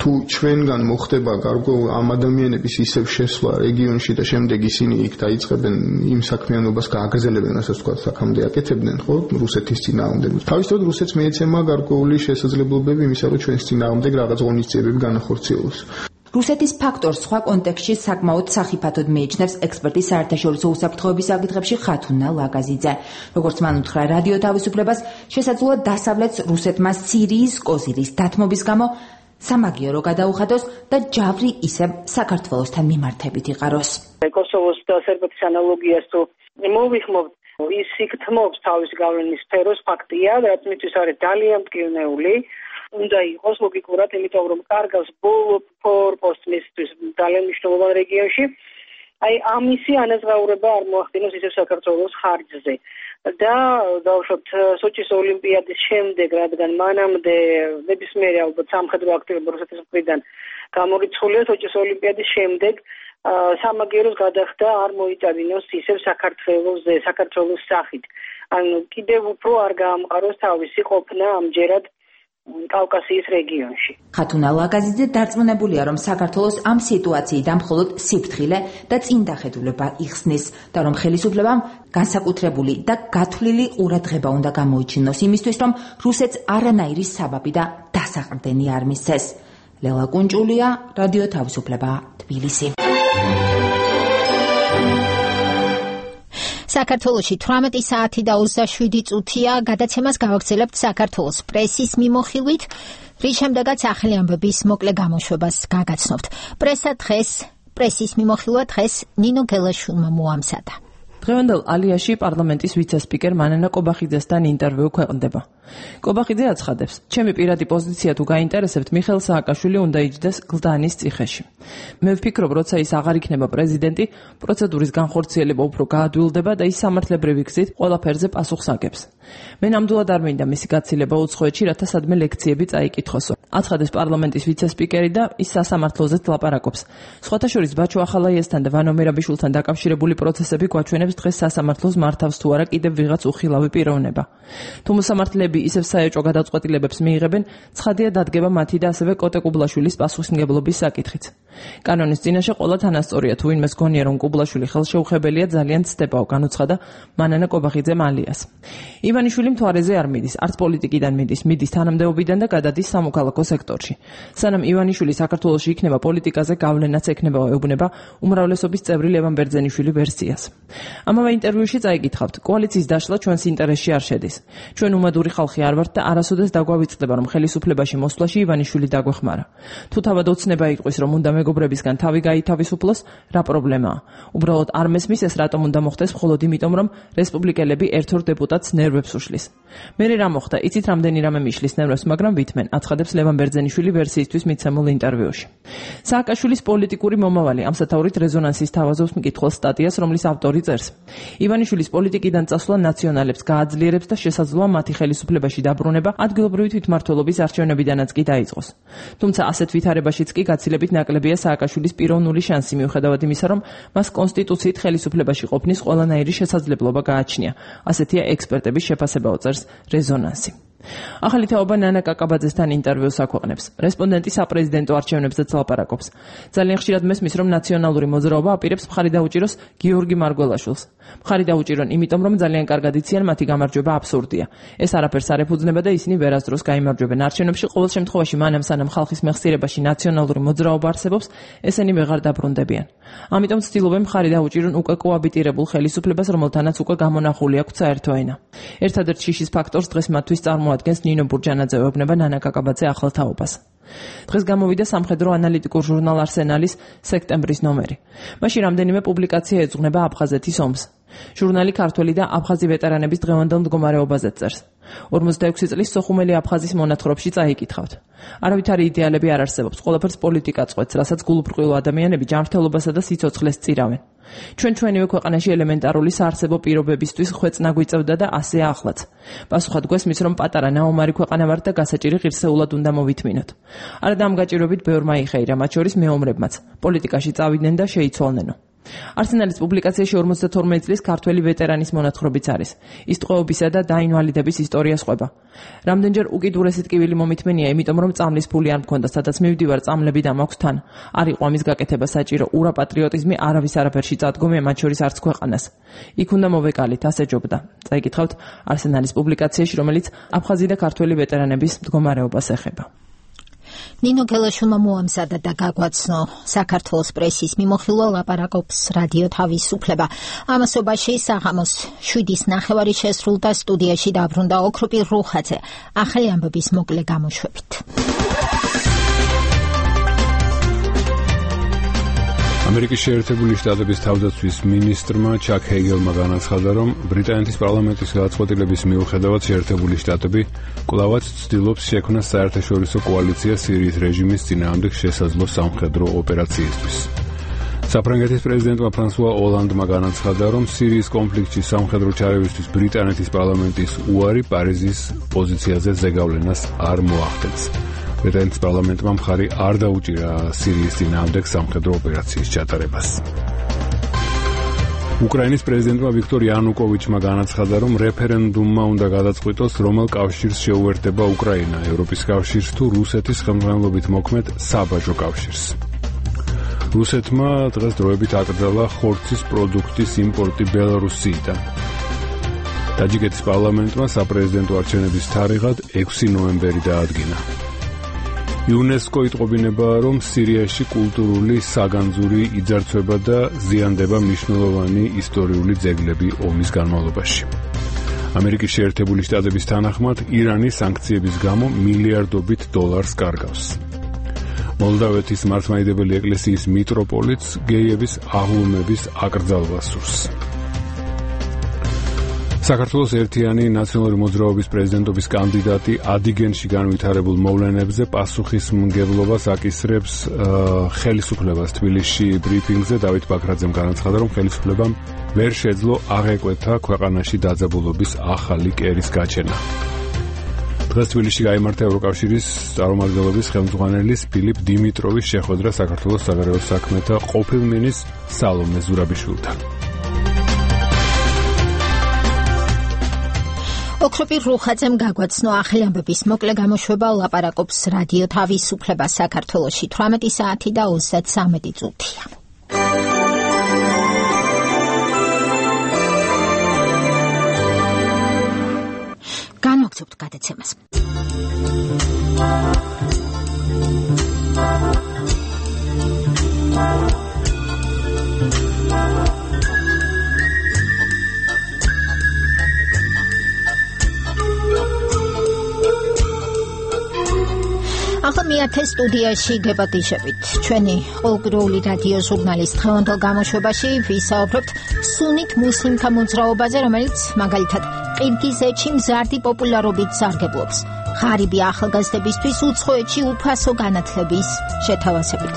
თუ ჩვენგან მოხდება გარკვეულ ამ ადამიანების ისევ შესვლა რეგიონში და შემდეგ ისინი იქ დაიწყებენ იმ საქმიანობას გააგრძელებენ, რასაც თქვა აქამდე აკეთებდნენ, ხო, რუსეთის წინააღმდეგ. თავისთავად რუსეთს მიეცემა გარკვეული შესაძლებლობები იმისა, რომ ჩვენს წინააღმდეგ რაღაც ღონისძიებები განახორციელოს. რუსეთის ფაქტორს სხვა კონტექსტში საკმაოდ სახიფათოდ მიიჩნევს ექსპერტი საერთაშორისო უსაფრთხოების საკითხებში ხათუნა ლაგაზიძე. როგორც მან უთხრა რადიო თავისუფლებას, შესაძლოა დასავლეთს რუსეთმა სირიის კოზირის დათმობის გამო სამაგიერო გადაუხადოს და ჯავრი ისევ საქართველოსთან მიმართებით იყაროს. კოსოვოს და სერბეთის ანალოგიას თუ მოვიხმობთ, ის იქ თმობს თავის გავლენის სფეროს ფაქტია, რაც მისთვის არის ძალიან მტკივნეული. უნდა იყოს ლოგიკურად, იმიტომ რომ კარგავს ბოლო ფორპოსტისთვის ძალიან მნიშვნელოვან რეგიონში. აი ამისი ანაზღაურება არ მოახდინოს ისევ საქართველოს ხარჯზე. და დავუშვათ სოჩის ოლიმპიადის შემდეგ, რადგან მანამდე ნებისმიერი ალბათ სამხედრო აქტივობა რუსეთის მხრიდან გამორიცხულია, სოჩის ოლიმპიადის შემდეგ სამაგიეროს გადახდა არ მოიწადინოს ისევ საქართველოს საქართველოს სახით. ანუ კიდევ უფრო არ გაამყაროს თავისი ყოფნა ამჯერად კავკასიის რეგიონში. ხათუნა ლაგაზიძე დარწმუნებულია, რომ საქართველოს ამ სიტუაციიდან მხოლოდ სიფრთხილე და წინდახედულება იხსნის და რომ ხელისუფლებამ განსაკუთრებული და გათვლილი ყურადღება უნდა გამოიჩინოს იმისთვის, რომ რუსეთს არანაირი საბაბი და დასაყრდენი არ მისცეს. ლელა კუნჭულია, რადიო თავისუფლება, თბილისი. საქართველოში თვრამეტი საათი და ოცდაშვიდი წუთია გადაცემას გავაგრძელებთ საქართველოს პრესის მიმოხილვით, რის შემდეგაც ახალი ამბების მოკლე გამოშვებას გაგაცნობთ. პრესა დღეს, პრესის მიმოხილვა დღეს ნინო გელაშვილმა მოამზადა. დღევანდელ ალიაში პარლამენტის ვიცე-სპიკერ მანანა კობახიძესთან ინტერვიუ ქვეყნდება. კობახიძე აცხადებს, ჩემი პირადი პოზიცია თუ გაინტერესებთ, მიხეილ სააკაშვილი უნდა იჯდეს გლდანის ციხეში. მე ვფიქრობ, როცა ის აღარ იქნება პრეზიდენტი, პროცედურის განხორციელება უფრო გაადვილდება და ის სამართლებრივი გზით ყველაფერზე პასუხს აგებს. მე ნამდვილად არ მინდა მისი გაცილება უცხოეთში, რათა სადმე ლექციები წაიკითხოსო. აცხადებს პარლამენტის ვიცე-სპიკერი და ის სასამართლოზეც ლაპარაკობს. სხვათა შორის ბაჩო ახალაიესთან და ვანო მერაბიშვილთან დაკავშირებული პროცესები გვაჩვენებს დღეს სასამართლოს მართავს თუ არა კიდევ ვიღაც უხილავი პიროვნება. თუ მოსამართლეები ისევ საეჭვო გადაწყვეტილებებს მიიღებენ, ცხადია დადგება მათი და ასევე კოტე კუბლაშვილის პასუხისმგებლობის საკითხიც. კანონის წინაშე ყველა თანასწორია, თუ ვინმეს გონია, რომ კუბლაშვილი ხელშეუხებელია, ძალიან ცდებაო, განუცხადა მანანა კობახიძემ ალიას. ივანიშვილი მთვარეზე არ მიდის, არც პოლიტიკიდან მიდის, მიდის თანამდებობიდან და გადადის სამოქალაქო სექტორში. სანამ ივანიშვილი საქართველოში იქნება პოლიტიკაზე, გავლენაც ექნება ეუბნება უმრავლესობის წევრი ლევან ბერძენიშვილი ვერსიას. ამავე ინტერვიუში წაიკითხავთ, კოალიციის დაშლა ჩვენს ინტერესში არ შედის. ჩვენ უმადური ხალხი არ ვართ და არასოდეს დაგვავიწყდება, რომ ხელისუფლებაში მოსვლაში ივანიშვილი დაგვეხმარა. თუ თავად ოცნება იყოს, რომ უნდა მეგობრებისგან თავი გაითავისუფლოს, რა პრობლემაა? უბრალოდ არ მესმის ეს რატომ უნდა მოხდეს მხოლოდ იმიტომ, რომ რესპუბლიკელები ერთ-ორ დეპუტატს ნერვებს უშლის. მერე რა მოხდა? იცით რამდენი რამე მიშლის ნერვებს, მაგრამ ვითმენ, აცხადებს ლევან ბერძენიშვილი ვერსიისთვის მიცემულ ინტერვიუში. სააკაშვილის პოლიტიკური მომავალი ამ სათაურით რეზონანსის თავაზობს მკითხველს სტატიას, რომლის ავტორი წერს: ივანიშვილის პოლიტიკიდან წასვლა ნაციონალებს გააძლიერებს და შესაძლოა მათი ხელისუფლებაში დაბრუნება ადგილობრივი თვითმმართველობის არჩევნებიდანაც კი დაიწყოს. თუმცა ასეთ ვითარებაშიც კი გაცილებით ნაკლებია სააკაშვილის პიროვნული შანსი, მიუხედავად იმისა, რომ მას კონსტიტუციით ხელისუფლებაში ყოფნის ყველანაირი შესაძლებლობა გააჩნია. ასეთია ექსპერტების შეფასება, წერს რეზონანსი. ახალი თაობა ნანა კაკაბაძესთან ინტერვიუს აქვეყნებს. რესპონდენტი საპრეზიდენტო არჩევნებზეც ლაპარაკობს. ძალიან ხშირად მესმის, რომ ნაციონალური მოძრაობა აპირებს მხარი დაუჭიროს გიორგი მარგველაშვილს. მხარი დაუჭირონ, იმიტომ რომ ძალიან კარგად იციან, მათი გამარჯვება აბსურდია. ეს არაფერს არ ეფუძნება და ისინი ვერასდროს გაიმარჯვებენ არჩევნებში. ყოველ შემთხვევაში, მანამ სანამ ხალხის მეხსიერებაში ნაციონალური მოძრაობა არსებობს, ესენი ვეღარ დაბრუნდებიან. ამიტომ ცდილობენ მხარი დაუჭირონ უკვე კოაბიტირებულ ხელისუფლებას, რომელთანაც უკვე გამონახული აქვს საერთო ენა. ერთადერთ შიშის ფაქტორს დღეს მათთვის წარმოადგენს ნინო ბურჯანაძე, ეუბნება ნანა კაკაბაძე ახალ თაობას. დღეს გამოვიდა სამხედრო ანალიტიკურ ჟურნალ არსენალის სექტემბრის ნომერი. მაშინ რამდენიმე პუბლიკაცია ეძღვნება აფხაზეთის ომს. ჟურნალი ქართველი და აფხაზი ვეტერანების დღევანდელ მდგომარეობაზე წერს. ორმოცდაექვსი წლის სოხუმელი აფხაზის მონათხრობში წაიკითხავთ. არავითარი იდეალები არ არსებობს, ყველაფერს პოლიტიკა წყვეტს, რასაც გულუბრყვილო ადამიანები ჯანმრთელობასა და სიცოცხლეს წირავენ. ჩვენ ჩვენივე ქვეყანაში ელემენტარული საარსებო პირობებისთვის ხვეწნა გვიწევდა და ასეა ახლაც. პასუხად გვესმის, რომ პატარა ნაომარი ქვეყანა ვართ და გასაჭირი ღირსეულად უნდა მოვითმინოთ. არა და ამ გაჭირვებით ბევრმა იხეირა, მათ შორის მეომრებმაც. პოლიტიკაში წავიდნენ და შეიცვალნენო. არსენალის პუბლიკაციაში ორმოცდათორმეტი წლის ქართველი ვეტერანის მონათხრობიც არის. ის ტყვეობისა და დაინვალიდების ისტორია სხვება. რამდენჯერ უკიდურესი ტკივილი მომითმენია, იმიტომ რომ წამლის ფული არ მქონდა, სადაც მივდივარ, წამლები დამაქვს თან. არ იყო ამის გაკეთება საჭირო, ურა პატრიოტიზმი არავის არაფერში წადგომია, მათ შორის არც ქვეყანას. იქ უნდა მოვეკალით, ასე ჯობდა. წაიკითხავთ არსენალის პუბლიკაციაში, რომელიც აფხაზი და ქართველი ვეტერანების მდგომარეობას ეხება. ნინო გელაშვილმა მოამზადა და გაგვაცნო საქართველოს პრესის მიმოხილვა, ლაპარაკობს რადიო თავისუფლება. ამასობაში საღამოს შვიდის ნახევარი შესრულდა, სტუდიაში დაბრუნდა ოქროპი რუხაძე. ახალი ამბების მოკლე გამოშვებით. ამერიკის შეერთებული შტატების თავდაცვის მინისტრმა ჩაკ ჰეიგელმა განაცხადა, რომ ბრიტანეთის პარლამენტის გადაწყვეტილების მიუხედავად შეერთებული შტატები კვლავაც ცდილობს შექმნას საერთაშორისო კოალიცია სირიის რეჟიმის წინააღმდეგ შესაძლო სამხედრო ოპერაციისთვის. საფრანგეთის პრეზიდენტმა ფრანსუა ოლანდმა განაცხადა, რომ სირიის კონფლიქტში სამხედრო ჩარევისთვის ბრიტანეთის პარლამენტის უარი პარიზის პოზიციაზე ზეგავლენას არ მოახდენს. ბრიტანეთის პარლამენტმა მხარი არ დაუჭირა სირიის წინააღმდეგ სამხედრო ოპერაციის ჩატარებას. უკრაინის პრეზიდენტმა ვიქტორ იანუკოვიჩმა განაცხადა, რომ რეფერენდუმმა უნდა გადაწყვიტოს, რომელ კავშირს შეუერთდება უკრაინა, ევროპის კავშირს თუ რუსეთის ხელმძღვანელობით მოქმედ საბაჟო კავშირს. რუსეთმა დღეს დროებით აკრძალა ხორცის პროდუქტის იმპორტი ბელარუსიიდან. ტაჯიკეთის პარლამენტმა საპრეზიდენტო არჩევნების თარიღად ექვსი ნოემბერი დაადგინა. იუნესკო იტყობინება, რომ სირიაში კულტურული საგანძური იძარცვება და ზიანდება მნიშვნელოვანი ისტორიული ძეგლები ომის განმავლობაში. ამერიკის შეერთებული შტატების თანახმად, ირანი სანქციების გამო მილიარდობით დოლარს კარგავს. მოლდავეთის მართლმადიდებელი ეკლესიის მიტროპოლიტს გეიების აღლუმების აკრძალვა სურს. საქართველოს ერთიანი ნაციონალური მოძრაობის პრეზიდენტობის კანდიდატი ადიგენში განვითარებულ მოვლენებზე პასუხისმგებლობას აკისრებს ხელისუფლებას. თბილისში ბრიფინგზე დავით ბაქრაძემ განაცხადა, რომ ხელისუფლებამ ვერ შეძლო აღეკვეთა ქვეყანაში დაძაბულობის ახალი კერის გაჩენა. დღეს თბილისში გაიმართა ევროკავშირის წარმომადგენლობის ხელმძღვანელის ფილიპ დიმიტროვის შეხვედრა საქართველოს საგარეო საქმეთა ყოფილ მინისტრ სალომე ზურაბიშვილთან. ოქროპი რუხაძემ გაგვაცნო ახალი ამბების მოკლე გამოშვება, ლაპარაკობს რადიო თავისუფლება. საქართველოში თვრამეტი საათი და ოცდათრამეტი წუთია. განვაგრძობთ გადაცემას. ახლა მეათე სტუდიაში დებატიშებით. ჩვენი ყოველკვირეული რადიო ჟურნალის დღევანდელ გამოშვებაში ვისაუბრებთ სუნით მუსლიმთა მოძრაობაზე, რომელიც მაგალითად ყირგიზეთში მზარდი პოპულარობით სარგებლობს. ღარიბი ახალგაზრდებისთვის უცხოეთში უფასო განათლების შეთავაზებით.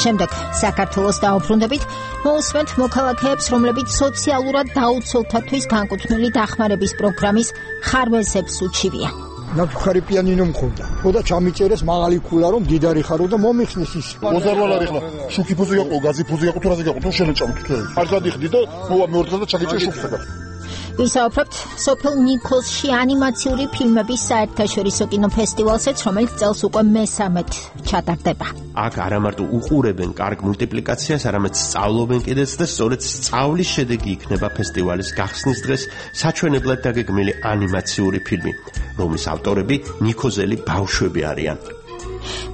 შემდეგ საქართველოს დაუბრუნდებით მოусმენთ მოქალაქეებს, რომლებიც სოციალურად დაუცველთათვის განკუთვნილი დახმარების პროგრამის ხარვეზებს უჩივიან. ნაქვხარი პიანინო მქონდა. ხოდა ჩამიწერეს მაღალი ქულა რომ დიდარი ხარო და მომიხსნის ის. მოზარვალარი ხლა შუქი ფუძი გაყო, გაზი ფუძი გაყო, თუ რაზე გაყო, თუ შენეჭამთ თუ. არ გადიხდი და მოვა მეორთად და ჩაგეჭე შუქსა. ვისაუბრებთ სოფელ ნიკოლსში ანიმაციური ფილმების საერთაშორისო კინოფესტივალზეც, რომელიც წელს უკვე მესამედ ჩატარდება. აქ არა მარტო უყურებენ კარგ მულტიპლიკაციას, არამედ სწავლობენ კიდეც და სწორედ სწავლის შედეგი იქნება ფესტივალის გახსნის დღეს საჩვენებლად დაგეგმილი ანიმაციური ფილმი, რომლის ავტორები ნიქოზელი ბავშვები არიან.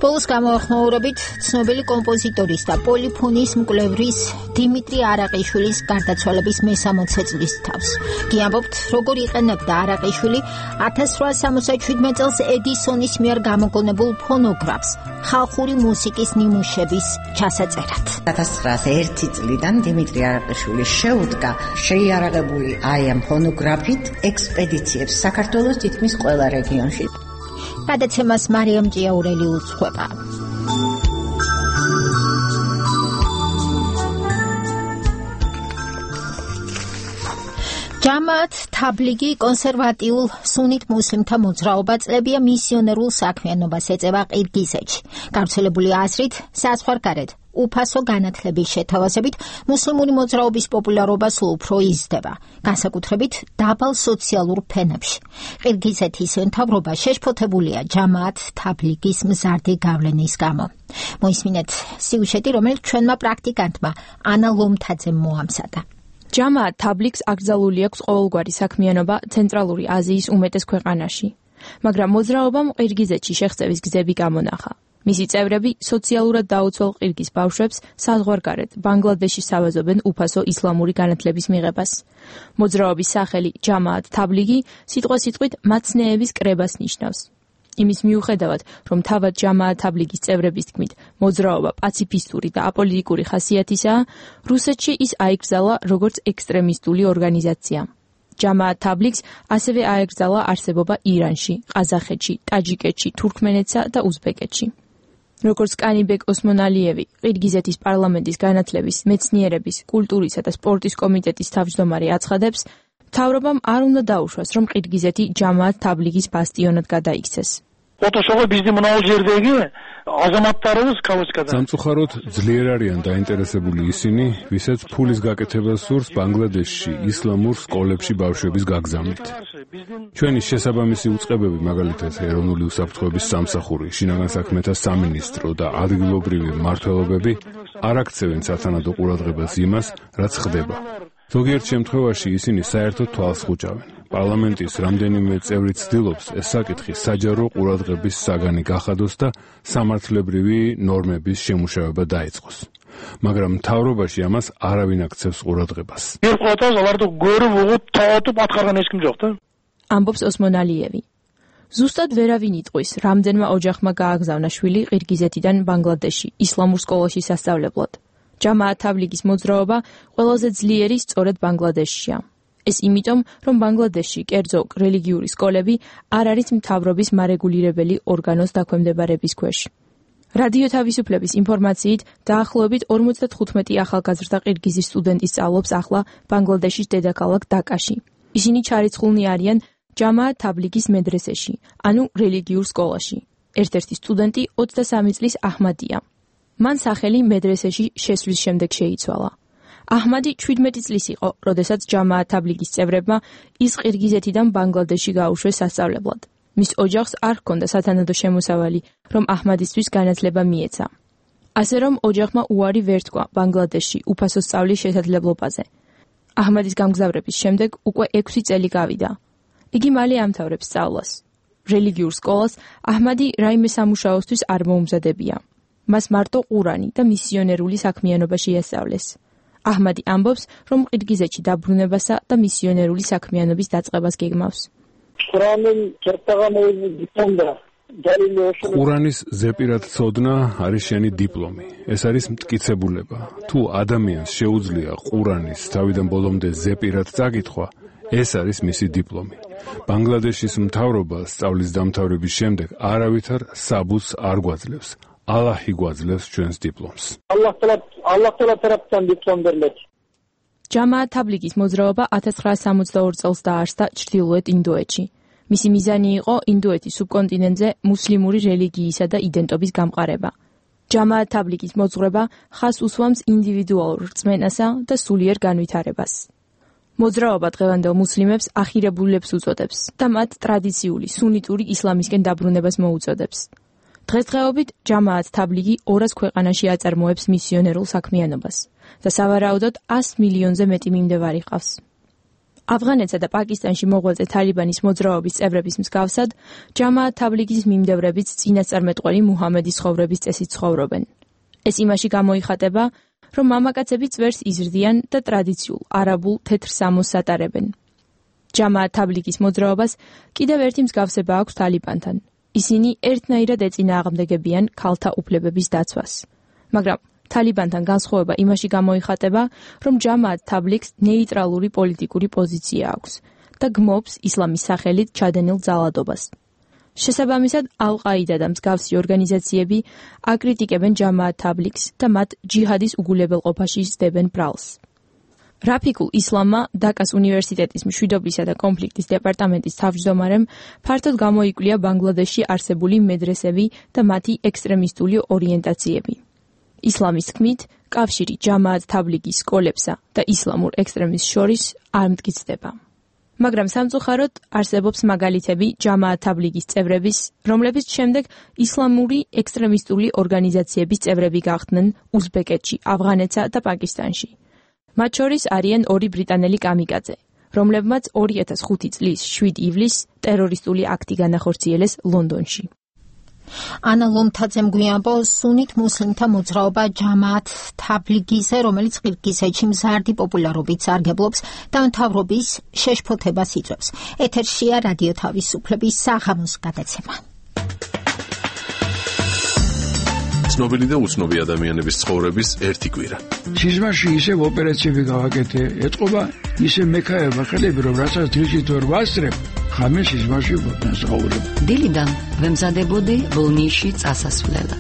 ბოლოს გამოახმაურებით ცნობილი კომპოზიტორის და პოლიფონიის მკვლევრის დიმიტრი არაყიშვილის გარდაცვალების მესამოცე წლის თავს. გიამბობთ, როგორ იყენებდა არაყიშვილი ათას რვაას სამოცდაშვიდმეტ წელს ედისონის მიერ გამოგონებულ ფონოგრაფს ხალხური მუსიკის ნიმუშების ჩასაწერად. ათას ცხრაას ერთი წლიდან დიმიტრი არაყიშვილი შეუდგა შეიარაღებული აი ამ ფონოგრაფით ექსპედიციებს საქართველოს თითქმის ყველა რეგიონში. გადაცემას მარიამ ჭიაურელი უძღვება. ჯამაათ თაბლიგი კონსერვატიულ სუნით მუსლიმთა მოძრაობა წლებია მისიონერულ საქმიანობას ეწევა ყირგიზეთში. გავრცელებული აზრით, საზღვარგარეთ უფასო განათლების შეთავაზებით მუსლიმური მოძრაობის პოპულარობა სულ უფრო იზრდება, განსაკუთრებით დაბალ სოციალურ ფენებში. ყირგიზეთის მთავრობა შეშფოთებულია ჯამაათ თაბლიგის მზარდი გავლენის გამო. მოისმინეთ სიუჟეტი, რომელიც ჩვენმა პრაქტიკანტმა ანა ლომთაძემ მოამზადა. ჯამაათ თაბლიგს აკრძალული აქვს ყოველგვარი საქმიანობა ცენტრალური აზიის უმეტეს ქვეყანაში, მაგრამ მოძრაობამ ყირგიზეთში შეღწევის გზები გამონახა. მისი წევრები სოციალურად დაუცველ ყირგიზ ბავშვებს საზღვარგარეთ ბანგლადეში სავაზობენ უფასო ისლამური განათლების მიღებას. მოძრაობის სახელი ჯამაათ თაბლიგი სიტყვასიტყვით მაცნეების კრებას ნიშნავს. იმის მიუხედავად, რომ თავად ჯამაათ თაბლიგის წევრების თქმით, მოძრაობა პაციფისტური და აპოლიტიკური ხასიათისაა, რუსეთში ის აიკრძალა როგორც ექსტრემისტული ორგანიზაცია. ჯამაათ თაბლიგს ასევე აეკრძალა არსებობა ირანში, ყაზახეთში, ტაჯიკეთში, თურქმენეთსა და უზბეკეთში. როგორც კანიბეკ ოსმონალიევი, ყირგიზეთის პარლამენტის განათლების, მეცნიერების, კულტურისა და სპორტის კომიტეტის თავმჯდომარე აცხადებს, მთავრობამ არ უნდა დაუშვას, რომ ყირგიზეთი ჯამაათ თაბლიგის ბასტიონად გადაიქცეს. სამწუხაროდ ძლიერ არიან დაინტერესებული ისინი, ვისაც ფულის გაკეთება სურს ბანგლადეშში ისლამურ სკოლებში ბავშვების გაგზავნით. ჩვენი შესაბამისი უწყებები, მაგალითად ეროვნული უსაფრთხოების სამსახური, შინაგან საქმეთა სამინისტრო და ადგილობრივი მმართველობები არ აქცევენ სათანადო ყურადღებას იმას, რაც ხდება. ზოგიერთ შემთხვევაში ისინი საერთოდ თვალს ხუჭავენ. პარლამენტის რამდენიმე წევრი ცდილობს ეს საკითხი საჯარო ყურადღების საგანი გახადოს და სამართლებრივი ნორმების შემუშავება დაიწყოს. მაგრამ მთავრობაში ამას არავინ აქცევს ყურადღებას. ამბობს ოსმონალიევი. ზუსტად ვერავინ იტყვის, რამდენმა ოჯახმა გააგზავნა შვილი ყირგიზეთიდან ბანგლადეში ისლამურ სკოლაში სასწავლებლად. ჯამაათ თაბლიგის მოძრაობა ყველაზე ძლიერი სწორედ ბანგლადეშშია. ეს იმიტომ, რომ ბანგლადეშში კერძო რელიგიური სკოლები არ არის მთავრობის მარეგულირებელი ორგანოს დაქვემდებარების ქვეშ. რადიო თავისუფლების ინფორმაციით, დაახლოებით ორმოცდათხუთმეტი ახალგაზრდა ყირგიზი სტუდენტი სწავლობს ახლა ბანგლადეშის დედაქალაქ დაკაში. ისინი ჩარიცხულნი არიან ჯამაათ თაბლიგის მედრესეში, ანუ რელიგიურ სკოლაში. ერთ-ერთი სტუდენტი ოცდასამი წლის აჰმადია. მან სახელი მედრესეში შესვლის შემდეგ შეიცვალა. აჰმადი ჩვიდმეტი წლის იყო, როდესაც ჯამაათ თაბლიგის წევრებმა ის ყირგიზეთიდან ბანგლადეშში გაუშვეს სასწავლებლად. მის ოჯახს არ ჰქონდა სათანადო შემოსავალი, რომ აჰმადისთვის განათლება მიეცა. ასე რომ ოჯახმა უარი ვერ თქვა ბანგლადეშში უფასო სწავლის შესაძლებლობაზე. აჰმადის გამგზავრების შემდეგ უკვე ექვსი წელი გავიდა. იგი მალე ამთავრებს სწავლას. რელიგიურ სკოლას აჰმადი რაიმე სამუშაოსთვის არ მოუმზადებია. მას მარტო ყურანი და მისიონერული საქმიანობა შეასწავლეს. აჰმადი ამბობს, რომ ყირგიზეთში დაბრუნებასა და მისიონერული საქმიანობის დაწყებას გეგმავს. ყურანის ზეპირად ცოდნა არის შენი დიპლომი. ეს არის მტკიცებულება. თუ ადამიანს შეუძლია ყურანის თავიდან ბოლომდე ზეპირად წაკითხვა, ეს არის მისი დიპლომი. ბანგლადეშის მთავრობა სწავლის დამთავრების შემდეგ არავითარ საბუთს არ გვაძლევს. ალაჰი გვაძლევს ჩვენს დიპლომს. ალლაჰ თალა ალლაჰ თალა taraftan diplom verildi. ჯამაათ თაბლიგის მოძრაობა ათას ცხრაასა სამოცდაორი წელს დაარსდა ჩრდილოეთ ინდოეთში. მისი მიზანი იყო ინდოეთის სუბკონტინენტზე მუსლიმური რელიგიისა და იდენტობის გამყარება. ჯამაათ თაბლიგის მოძღვრება ხაზს უსვამს ინდივიდუალურ რწმენასა და სულიერ განვითარებას. მოძრაობა დღევანდელ მუსლიმებს ახირებულებს უწოდებს და მათ ტრადიციული სუნიტური ისლამისკენ დაბრუნებას მოუწოდებს. დღესდღეობით ჯამაათ თაბლიგი ორას ქვეყანაში აწარმოებს მისიონერულ საქმიანობას და სავარაუდოდ ას მილიონზე მეტი მიმდევარი ყავს. ავღანეთსა და პაკისტანში მოღვაწე თალიბანის მოძრაობის წევრების მსგავსად, ჯამაათ თაბლიგის მიმდევრებიც წინასწარმეტყველი მუჰამედის ცხოვრების წესით ცხოვრობენ. ეს იმაში გამოიხატება, რომ მამაკაცები წვერს იზრდიან და ტრადიციულ არაბულ თეთრ სამოსს ატარებენ. ჯამაათ თაბლიგის მოძრაობას კიდევ ერთი მსგავსება აქვს თალიბანთან. ისინი ერთნაირად ეწინააღმდეგებიან ქალთა უფლებების დაცვას. მაგრამ თალიბანთან განსხვავება იმაში გამოიხატება, რომ ჯამაათ თაბლიგს ნეიტრალური პოლიტიკური პოზიცია აქვს და გმობს ისლამის სახელით ჩადენილ ძალადობას. შესაბამისად, ალ-ყაიდა და მსგავსი ორგანიზაციები აკრიტიკებენ ჯამაათ თაბლიგს და მათ ჯიჰადის უგულებელყოფაში სდებენ ბრალს. რაფიკულ ისლამმა დაკას უნივერსიტეტის მშვიდობისა და კონფლიქტის დეპარტამენტის თავმჯდომარემ ფართოდ გამოიკვლია ბანგლადეშში არსებული მედრესები და მათი ექსტრემისტული ორიენტაციები. ისლამის თქმით, კავშირი ჯამაათ თაბლიგის სკოლებსა და ისლამურ ექსტრემიზმს შორის არ მტკიცდება. მაგრამ სამწუხაროდ არსებობს მაგალითები ჯამაათ თაბლიგის წევრების, რომლებიც შემდეგ ისლამური ექსტრემისტული ორგანიზაციების წევრები გახდნენ უზბეკეთში, ავღანეთსა და პაკისტანში. მათ შორის არიან ორი ბრიტანელი კამიკაძე, რომლებმაც ორი ათას ხუთი წლის შვიდ ივლისს ტერორისტული აქტი განახორციელეს ლონდონში. ანა ლომთაძემ გვიამბო სუნით მუსლიმთა მოძრაობა ჯამაათ თაბლიგიზე, რომელიც ყირგიზეთში მზარდი პოპულარობით სარგებლობს და მთავრობის შეშფოთებას იწვევს. ეთერშია რადიო თავისუფლების საღამოს გადაცემა. ცნობილი და უცნობი ადამიანების ცხოვრების ერთი კვირა. სიზმარში ისევ ოპერაციები გავაკეთე, ეთყობა ისე მექაება ხელები, რომ რასაც დილით ვერ ვასწრებ, ხამე სიზმარში ვცხოვრობ. დილიდან ვემზადებოდი ბოლნისში წასასვლელად.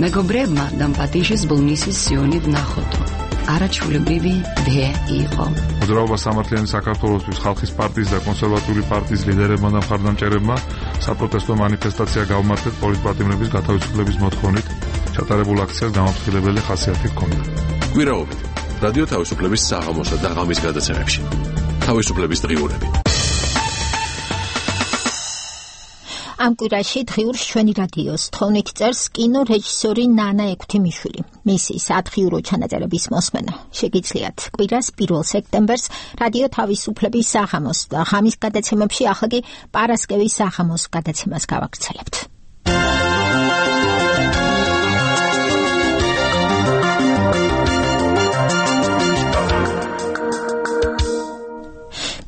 მეგობრებმა დამპატიშის ბოლნისის სიონით ნახოთო. არაჩვეულებრივი დე იყო. მოძრაობა სამართლიანი საქართველოსთვის ხალხის პარტიის და კონსერვატიული პარტიის ლიდერებმა და მხარდამჭერებმა საპროტესტო მანიფესტაცია გავმართეთ პოლიტპატიმრების გათავისუფლების მოთხოვნით. ჩატარებულ აქციას გამაფრთხილებელი ხასიათი ჰქონდა. კვირაობით რადიო თავისუფლების საღამოსა და ღამის გადაცემებში. თავისუფლების დღიურები. ამ კვირაში დღიურს ჩვენი რადიოს თხოვნით წერს კინო რეჟისორი ნანა ექვთიმიშვილი. მისი სათხიურო ჩანაწერების მოსმენა შეგიძლიათ კვირას პირველ სექტემბერს რადიო თავისუფლების საღამოს და ღამის გადაცემებში, ახლა კი პარასკევის საღამოს გადაცემას გავაგრძელებთ.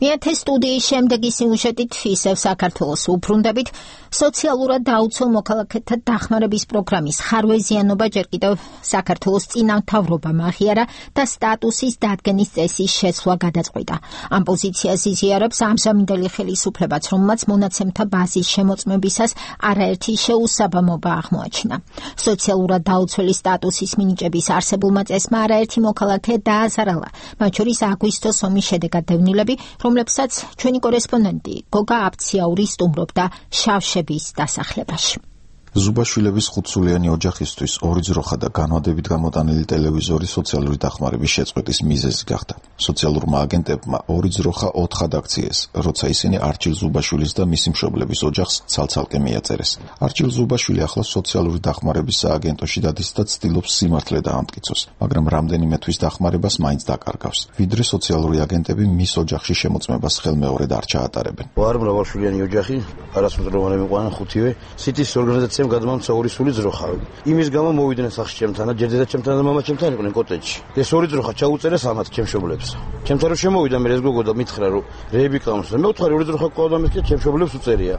მეათე სტუდიის შემდეგი სიუჟეტით ისევ საქართველოს უბრუნდებით. სოციალურად დაუცველ მოქალაქეთა დახმარების პროგრამის ხარვეზიანობა ჯერ კიდევ საქართველოს წინამთავრობამ აღიარა და სტატუსის დადგენის წესის შეცვლა გადაწყვიტა. ამ პოზიციას იზიარებს ამჟამინდელი ხელისუფლებაც, რომელმაც მონაცემთა ბაზის შემოწმებისას არაერთი შეუსაბამობა აღმოაჩინა. სოციალურად დაუცველი სტატუსის მინიჭების არსებულმა წესმა არაერთი მოქალაქე დააზარალა, მათ შორის აგვისტოს ომის შედეგად დევნილები, რომლებსაც ჩვენი კორესპონდენტი გოგა აფციაური სტუმრობდა შავშების დასახლებაში. ზუბაშვილების ხუთსულიანი ოჯახისთვის ორი ძროხა და განვადებით გამოტანილი ტელევიზორი სოციალური დახმარების შეწყვეტის მიზეზი გახდა. სოციალურმა აგენტებმა ორი ძროხა ოთხად აქციეს, როცა ისინი არჩილ ზუბაშვილის და მისი მშობლების ოჯახს ცალ-ცალკე მიაწერეს. არჩილ ზუბაშვილი ახლა სოციალური დახმარების სააგენტოში დადის და ცდილობს სიმართლე დაამტკიცოს, მაგრამ რამდენიმე თვის დახმარებას მაინც დაკარგავს. ვიდრე სოციალური აგენტები მის ოჯახში შემოწმებას ხელმეორედ არ ჩაატარებენ. ვარ მრავალშვილიანი ოჯახი, არასრულოვანი მიყვანა ხუთივე, სიტის ორგანიზაცია გადმამცა ორი სული ძროხა. იმის გამო მოვიდნენ სახლში ჩემთან და ჯერ დედა ჩემთან და მამა ჩემთან იყვნენ კოტეჯში. ეს ორი ძროხა ჩაუწერეს ამათ ჩემ მშობლებს. ჩემთან რომ შემოვიდა მე ეს გოგო და მითხრა რომ რეები ყავს და მე ვთქვი ორი ძროხა ყავდა მეთქე ჩემ მშობლებს უწერია.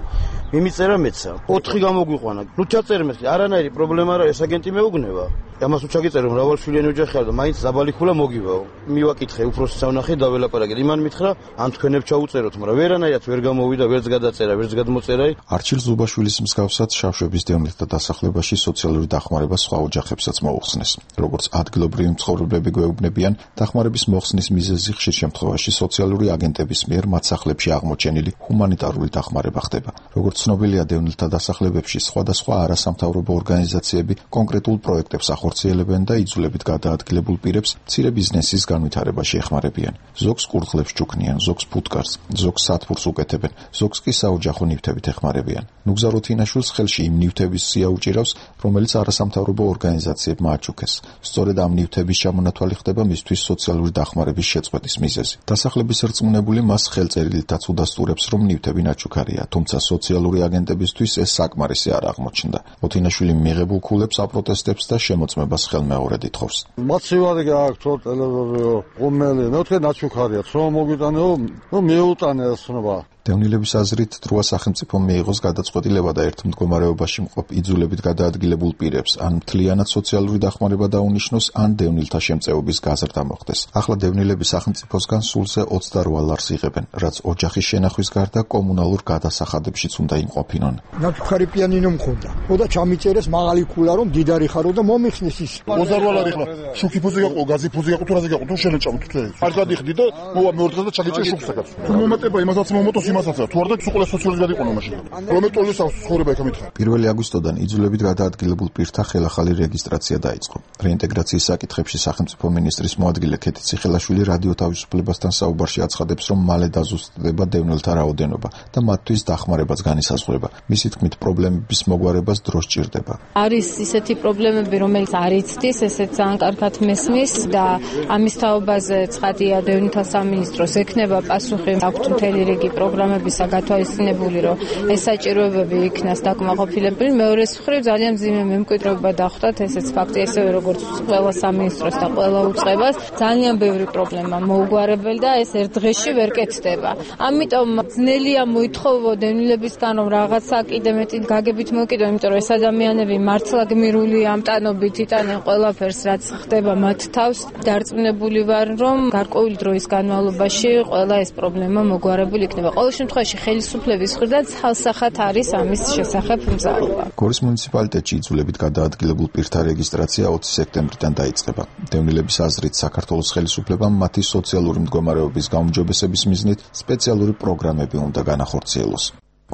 მიმიწერა მეცა. ოთხი გამოგვიყვანა. ნუ ჩაწერე მეთქე არანაირი პრობლემა არა, ეს აგენტი მეუგნება. ამას უჩაგიწერო მრავალშვილიანი ოჯახი არ და მაინც ზაბალიქულა მოგივაო. მივაკითხე უფროსი სამნახე და ველაპარაკეთ. იმან მითხრა ან თქვენებ ჩაუწეროთ, მაგრამ ვერანაირად ვერ გამოვიდა, ვერც გადაწერა, ვერც გადმოწერა. არჩილ ზუბაშვილის მსგავსად შავშების დევნილთა დასახლებაში სოციალური დახმარება სხვა ოჯახებსაც მოუხსნეს. როგორც ადგილობრივი მცხოვრებლები გვეუბნებიან, დახმარების მოხსნის მიზეზი ხშირ შემთხვევაში სოციალური აგენტების მიერ მათ სახლებში აღმოჩენილი ჰუმანიტარული დახმარება ხდება. როგორც ცნობილია, დევნილთა დასახლებებში სხვადასხვა არასამთავრობო ორგანიზაციები კონკრეტულ პროექტებს ახორციელებენ და იძულებით გადაადგილებულ პირებს მცირე ბიზნესის განვითარებაში ეხმარებიან. ზოგს კურდღლებს ჩუქნიან, ზოგს ფუტკარს, ზოგს სათბურს უკეთებენ, ზოგს კი საოჯახო ნივთებით ეხმარებიან. ნუგზა რუთინაშვილს ხელში იმ ნივთების სია უჭირავს, რომელიც არასამთავრობო ორგანიზაციებმა აჩუქეს. სწორედ ამ ნივთების ჩამონათვალი ხდება მისთვის სოციალური დახმარების შეწყვეტის მიზეზი. დასახლების რწმუნებული მას ხელწერილითაც უდასტურებს, რომ ნივთები ნაჩუქარია, თუმცა სოციალური აგენტებისთვის ეს საკმარისი არ აღმოჩნდა. რუთინაშვილი მიღებულ ქულებს აპროტესტებს და შემოწმებას ხელმეორედ ითხოვს. მოცივარი გააქვთ ტელევიზორიო, ყომელი, მე თქვენ ნაჩუქარია, რომ მოგიტანეო, ნუ მიუტანე ასნობა. დევნილების აზრით, დროა სახელმწიფო მიიღოს გადაწყვეტილება და ერთ მდგომარეობაში მყოფ იძულებით გადაადგილებულ პირებს ან მთლიანად სოციალური დახმარება დაუნიშნოს, ან დევნილთა შემწეობის გაზრდა მოხდეს. ახლა დევნილები სახელმწიფოსგან სულზე ოცდარვა ლარს იღებენ, რაც ოჯახის შენახვის გარდა კომუნალურ გადასახადებშიც უნდა იმყოფინონ. ნაჩუქარი პიანინო მქონდა. ხოდა ჩამიწერეს მაღალი ქულა, რომ დიდარი ხარო და მომიხსნის ის. ოცდარვა ლარი ხლა შუქი ფუზე გაყო, გაზი ფუზე გაყო, თუ რაზე გაყო, თუ შენეჭამო თუ ეს. არ გადიხდი და მოვა მეორე დღე და ჩაგიჭე შუქსაკაც. თუ მომატება იმასაც მომოტოს იმასაც თუ არ და უყურე სოციალიზმი გადაიყო მაშინ. რომ ეტოლის ცხოვრება იქ ამითხარ. პირველი აგვისტოდან იძულებით გადაადგილებულ პირთა ხელახალი რეგისტრაცია დაიწყო. რეინტეგრაციის საკითხებში სახელმწიფო მინისტრის მოადგილე ქეთი ციხელაშვილი რადიო თავისუფლებასთან საუბარში აცხადებს, რომ მალე დაზუსტდება დევნილთა რაოდენობა და მათთვის დახმარებაც განისაზღვრება. მისი თქმით, პრობლემების მოგვარებას დრო სჭირდება. არის ისეთი პრობლემები, რომელიც არ იცდის, ესეც ძალიან კარგად მესმის და ამის თაობაზე ცხადია დევნილთა სამინისტროს ექნება პასუხი, აქვთ მთელი რიგი პროგრამების გათვალისწინებული, რომ ეს საჭიროებები იქნას დაკმაყოფილებელი. მეორეს მხრივ ძალიან მძიმე მემკვიდრეობა დახვდათ, ესეც ფაქტი, ესევე როგორც ყველა სამინისტროს და ყველა უწყებას, ძალიან ბევრი პრობლემა მოუგვარებელი და ეს ერთ დღეში ვერ კეთდება. ამიტომ ძნელია მოითხოვო დევნილებისგან, რომ რაღაცა კიდე მეტი გაგებით მოკიდო, იმიტომ რომ ეს ადამიანები მართლა გმირული ამტანობით იტანენ ყველაფერს, რაც ხდება მათ თავს. დარწმუნებული ვარ, რომ გარკვეული დროის განმავლობაში ყველა ეს პრობლემა მოგვარებული იქნება. ყოველ შემთხვევაში ხელისუფლების მხრიდან ცალსახად არის ამის შესახებ მზაობა. გორის მუნიციპალიტეტში იძულებით გადაადგილებულ პირთა რეგისტრაცია ოცი სექტემბრიდან დაიწყება. დევნილების აზრით, საქართველოს ხელისუფლებამ მათი სოციალური მდგომარეობის გაუმჯობესების მიზნით სპეციალური პროგრამები უნდა განახორციელოს.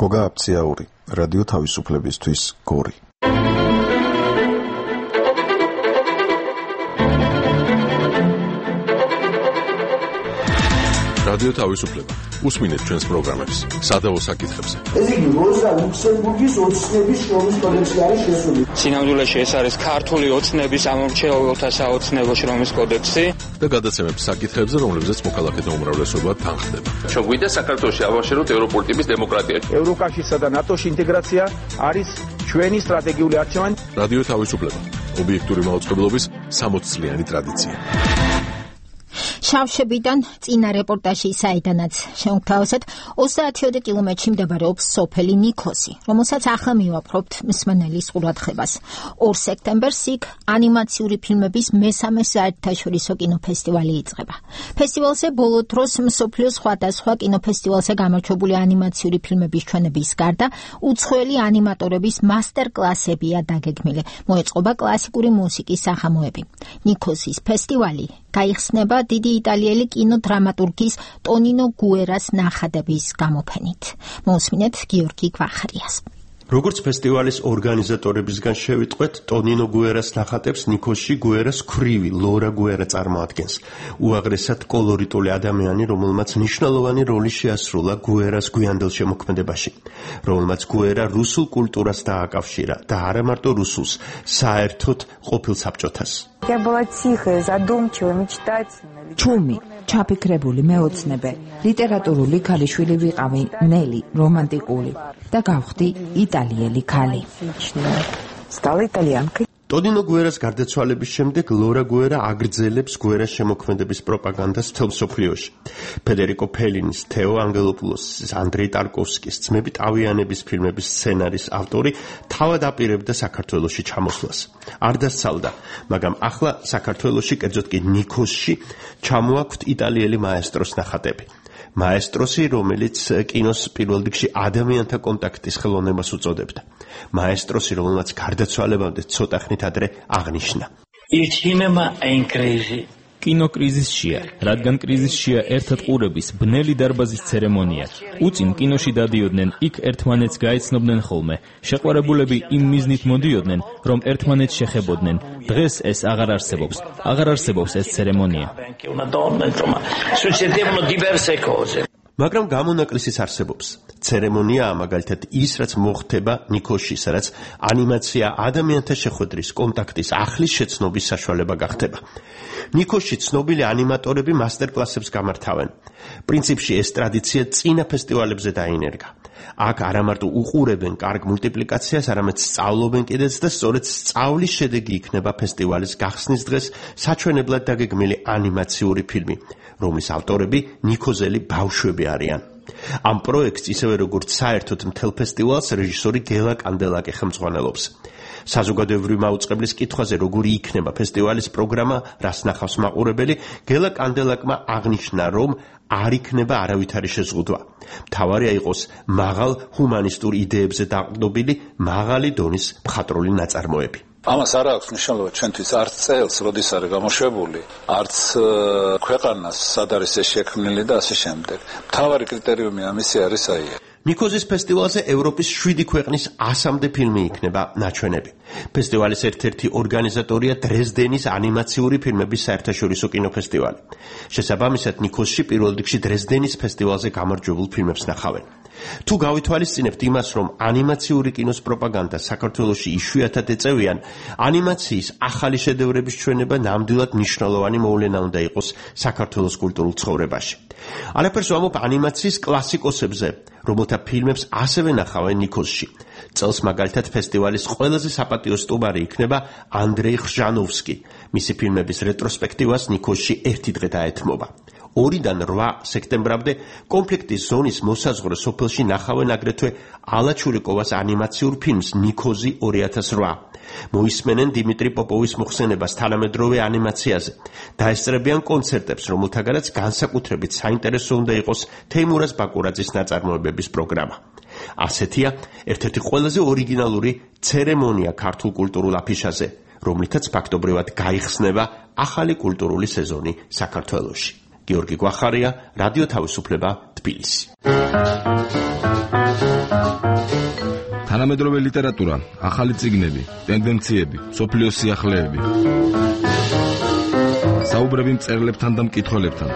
გოგა აფციაური, რადიო თავისუფლებისთვის, გორი. რადიო თავისუფლება. უსმინეთ ჩვენს პროგრამებს სადავო საკითხებზე. ეს იგი როზა ლუქსემბურგის ოცნების შრომის კოდექსი არის შესული. სინამდვილეში ეს არის ქართული ოცნების ამომრჩეველთა საოცნებო შრომის კოდექსი და გადაცემებს საკითხებზე, რომლებზეც მოქალაქეთა უმრავლესობა თანხდება. ჩვენ გვინდა საქართველოში ავაშეროთ ევროპული ტიპის დემოკრატია. ევროკავშირსა და ნატოში ინტეგრაცია არის ჩვენი სტრატეგიული არჩევანი. რადიო თავისუფლება. ობიექტური მაუწყებლობის სამოც წლიანი ტრადიცია. შავშებიდან წინა რეპორტაჟი საიდანაც შევთავაზეთ, ოცდაათიოდე კილომეტრში მდებარეობს სოფელი ნიქოსი, რომელსაც ახლა მივაპყრობთ მსმენელის ყურადღებას. ორ სექტემბერს იქ ანიმაციური ფილმების მესამე საერთაშორისო კინოფესტივალი იწყება. ფესტივალზე ბოლო დროს მსოფლიოს სხვადასხვა კინოფესტივალზე გამარჯვებული ანიმაციური ფილმების ჩვენების გარდა უცხოელი ანიმატორების მასტერ-კლასებია დაგეგმილი. მოეწყობა კლასიკური მუსიკის სახამოები. ნიქოსის ფესტივალი გაიხსნება დიდი იტალიელი კინოდრამატურგის ტონინო გუერას ნახატების გამოფენით. მოусმინეთ გიორგი გვახარიას. როგორც ფესტივალის ორგანიზატორებისგან შევიტყვეთ, ტონინო გუერას ნახატებს ნიქოსში გუერას ქვრივი ლორა გუერა წარმოადგენს. უაღრესად კოლორიტული ადამიანი, რომელმაც მნიშვნელოვანი როლი შეასრულა გუერას გვიანდელ შემოქმედებაში, რომელმაც გუერა რუსულ კულტურას დააკავშირა და არა მარტო რუსულს, საერთოდ ყოფილ საბჭოთას. Я была тихая, задумчивая, мечтательная. ჩუმი, ჩაფიქრებული, მეოცნებე, ლიტერატურული ქალიშვილი ვიყავი, ნელი, რომანტიკული და გავხდი იტალიელი ქალი. Стала итальянкой. ტოდინო გუერას გარდაცვალების შემდეგ ლორა გუერა აგრძელებს გუერას შემოქმედების პროპაგანდას მთელ მსოფლიოში. ფედერიკო ფელინის, თეო ანგელოპულოსის, ანდრეი ტარკოვსკის ძმები ტავიანების ფილმების სცენარის ავტორი თავად აპირებდა საქართველოში ჩამოსვლას. არ დასცალდა, მაგრამ ახლა საქართველოში, კერძოდ კი ნიქოზში, ჩამოაქვთ იტალიელი მაესტროს ნახატები. მაესტროსი, რომელიც კინოს პირველ რიგში ადამიანთა კონტაქტის ხელოვნებას უწოდებდა. მაესტროსი, რომელმაც გარდაცვალებამდე ცოტა ხნით ადრე აღნიშნა. კინოკრიზისშია, რადგან კრიზისშია ერთად ყურების ბნელი დარბაზის ცერემონია. უწინ კინოში დადიოდნენ, იქ ერთმანეთს გაეცნობდნენ ხოლმე. შეყვარებულები იმ მიზნით მოდიოდნენ, რომ ერთმანეთს შეხებოდნენ. დღეს ეს აღარ არსებობს. აღარ არსებობს ეს ცერემონია. მაგრამ გამონაკლისიც არსებობს. ცერემონიაა მაგალითად ის, რაც მოხდება ნიქოზში, სადაც ანიმაცია ადამიანთა შეხვედრის, კონტაქტის, ახლის შეცნობის საშუალება გახდება. ნიქოზში ცნობილი ანიმატორები მასტერკლასებს გამართავენ. პრინციპში ეს ტრადიცია წინა ფესტივალებზე დაინერგა. აქ არამარტო უყურებენ კარგ მულტიპლიკაციას, არამედ სწავლობენ კიდეც და სწორედ სწავლის შედეგი იქნება ფესტივალის გახსნის დღეს საჩვენებლად დაგეგმილი ანიმაციური ფილმი, რომლის ავტორები ნიქოზელი ბავშვები არიან. ამ პროექტს ისევე როგორც საერთოდ მთელ ფესტივალს რეჟისორი გელა კანდელაკი ხელმძღვანელობს. საზოგადოებრივი მაუწყებლის კითხვაზე როგორი იქნება ფესტივალის პროგრამა, რას ნახავს მაყურებელი, გელა კანდელაკმა აღნიშნა, რომ არ იქნება არავითარი შეზღუდვა. მთავარია იყოს მაღალ ჰუმანისტურ იდეებზე დაყრდნობილი მაღალი დონის მხატვრული ნაწარმოები. ამას არ აქვს მნიშვნელობა ჩვენთვის არც წელს, როდის არის გამოშვებული, არც ქვეყანას, სად არის ეს შექმნილი და ასე შემდეგ. მთავარი კრიტერიუმი ამისი არის აი ეს. ნიქოზის ფესტივალზე ევროპის შვიდი ქვეყნის ასამდე ფილმი იქნება ნაჩვენები. ფესტივალის ერთ-ერთი ორგანიზატორია დრეზდენის ანიმაციური ფილმების საერთაშორისო კინოფესტივალი. შესაბამისად, ნიქოზში პირველ რიგში დრეზდენის ფესტივალზე გამარჯვებულ ფილმებს ნახავენ. თუ გავითვალისწინებთ იმას, რომ ანიმაციური კინოს პროპაგანდა საქართველოში იშვიათად ეწევიან, ანიმაციის ახალი შედევრების ჩვენება ნამდვილად მნიშვნელოვანი მოვლენა უნდა იყოს საქართველოს კულტურულ ცხოვრებაში. არაფერს ვამბობ ანიმაციის კლასიკოსებზე, რომელთა ფილმებს ასევე ნახავენ ნიქოზში. წელს მაგალითად ფესტივალის ყველაზე საპატიო სტუმარი იქნება ანდრეი ხრჟანოვსკი. მისი ფილმების რეტროსპექტივას ნიქოზში ერთი დღე დაეთმობა. ორიდან რვა სექტემბრამდე კონფლიქტის ზონის მოსაზღვრე სოფელში ნახავენ აგრეთვე ალა ჩურიკოვას ანიმაციურ ფილმს ნიქოზი ორი ათას რვა. მოისმენენ დიმიტრი პოპოვის მოხსენებას თანამედროვე ანიმაციაზე. დაესწრებიან კონცერტებს, რომელთაგანაც განსაკუთრებით საინტერესო უნდა იყოს თეიმურაზ ბაკურაძის ნაწარმოებების პროგრამა. ასეთია ერთ-ერთი ყველაზე ორიგინალური ცერემონია ქართულ კულტურულ აფიშაზე, რომლითაც ფაქტობრივად გაიხსნება ახალი კულტურული სეზონი საქართველოში. გიორგი გვახარია, რადიო თავისუფლება, თბილისი. თანამედროვე ლიტერატურა, ახალი წიგნები, ტენდენციები, სოფლიოს სიახლეები. საუბრები მწერლებთან და მკითხველებთან.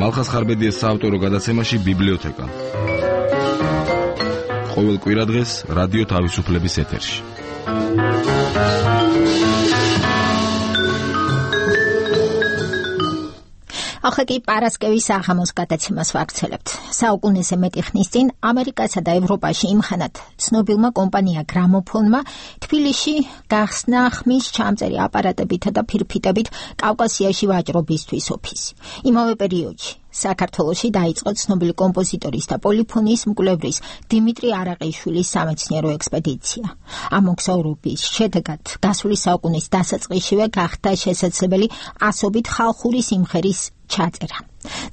მალხას ხარბედიეს საავტორო გადაცემაში ბიბლიოთეკა. ყოველ კვირადღეს რადიო თავისუფლების ეთერში. ახლა კი პარასკევის აღამოს გადაცემას ვაგრძელებთ. საუკუნეზე მეტი ხნის წინ ამერიკასა და ევროპაში იმხანად ცნობილმა კომპანია გრამოფონმა თბილისში გახსნა ხმის ჩამწერი აპარატებითა და ფირფიტებით კავკასიაში ვაჭრობისთვის ოფისი. იმავე პერიოდში საქართველოში დაიწყო ცნობილი კომპოზიტორის და პოლიფონიის მკვლევრის დიმიტრი არაყიშვილის სამეცნიერო ექსპედიცია. ამ მოგზაურობის შედეგად გასული საუკუნის დასაწყისშივე გახდა შესაძლებელი ასობით ხალხური სიმღერის ჩაწერა.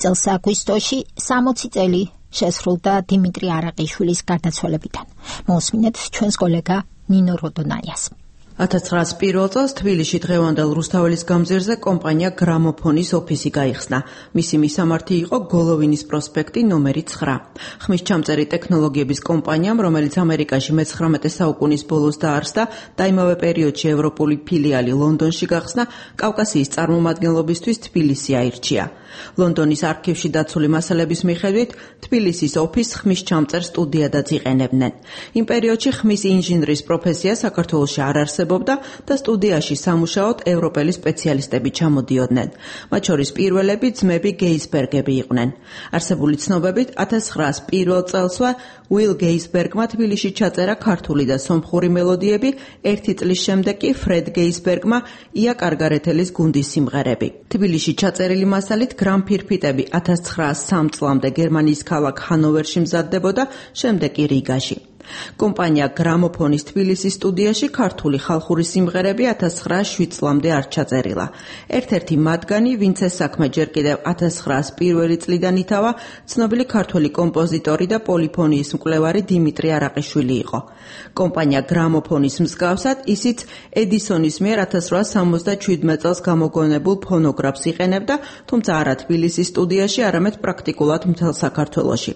წელს აგვისტოში სამოცი წელი შესრულდა დიმიტრი არაყიშვილის გარდაცვალებიდან. მოусმინეთ ჩვენს კოლეგა ნინო როდონაიას. ათას ცხრაასი პირველ წელს თბილისში დღევანდელ რუსთაველის გამზირზე კომპანია გრამოფონის ოფისი გაიხსნა. მისი მისამართი იყო გოლოვინის პროსპექტი ნომერი ცხრა. ხმის ჩამწერი ტექნოლოგიების კომპანიამ, რომელიც ამერიკაში მეცხრამეტე საუკუნის ბოლოს დაარსდა და იმავე პერიოდში ევროპული ფილიალი ლონდონში გახსნა, კავკასიის წარმომადგენლობისთვის თბილისი აირჩია. ლონდონის არქივში დაცული მასალების მიხედვით, თბილისის ოფისს ხმის ჩამწერ სტუდიადაც იყენებდნენ. იმ პერიოდში ხმის ინჟინრის პროფესია საქართველოში არ არსებობდა არსებობდა და სტუდიაში სამუშაოდ ევროპელი სპეციალისტები ჩამოდიოდნენ. მათ შორის პირველები ძმები გეისბერგები იყვნენ. არსებული ცნობებით ათას ცხრაას პირველ წელსვე უილ გეისბერგმა თბილისში ჩაწერა ქართული და სომხური მელოდიები, ერთი წლის შემდეგ კი ფრედ გეისბერგმა ია კარგარეთელის გუნდის სიმღერები. თბილისში ჩაწერილი მასალით გრამფირფიტები ათას ცხრაას სამ წლამდე გერმანიის ქალაქ ჰანოვერში მზადდებოდა, შემდეგ კი რიგაში. კომპანია გრამოფონის თბილისის სტუდიაში ქართული ხალხური სიმღერები ათას ცხრაას შვიდ წლამდე არ ჩაწერილა. ერთ-ერთი მათგანი, ვინც ეს საქმე ჯერ კიდევ ათას ცხრაას პირველი წლიდან ითავა, ცნობილი ქართველი კომპოზიტორი და პოლიფონიის მკვლევარი დიმიტრი არაყიშვილი იყო. კომპანია გრამოფონის მსგავსად ისიც ედისონის მიერ ათას ცხრაას სამოცდაშვიდმე წელს გამოგონებულ ფონოგრაფს იყენებდა, თუმცა არა თბილისის სტუდიაში, არამედ პრაქტიკულად მთელ საქართველოში.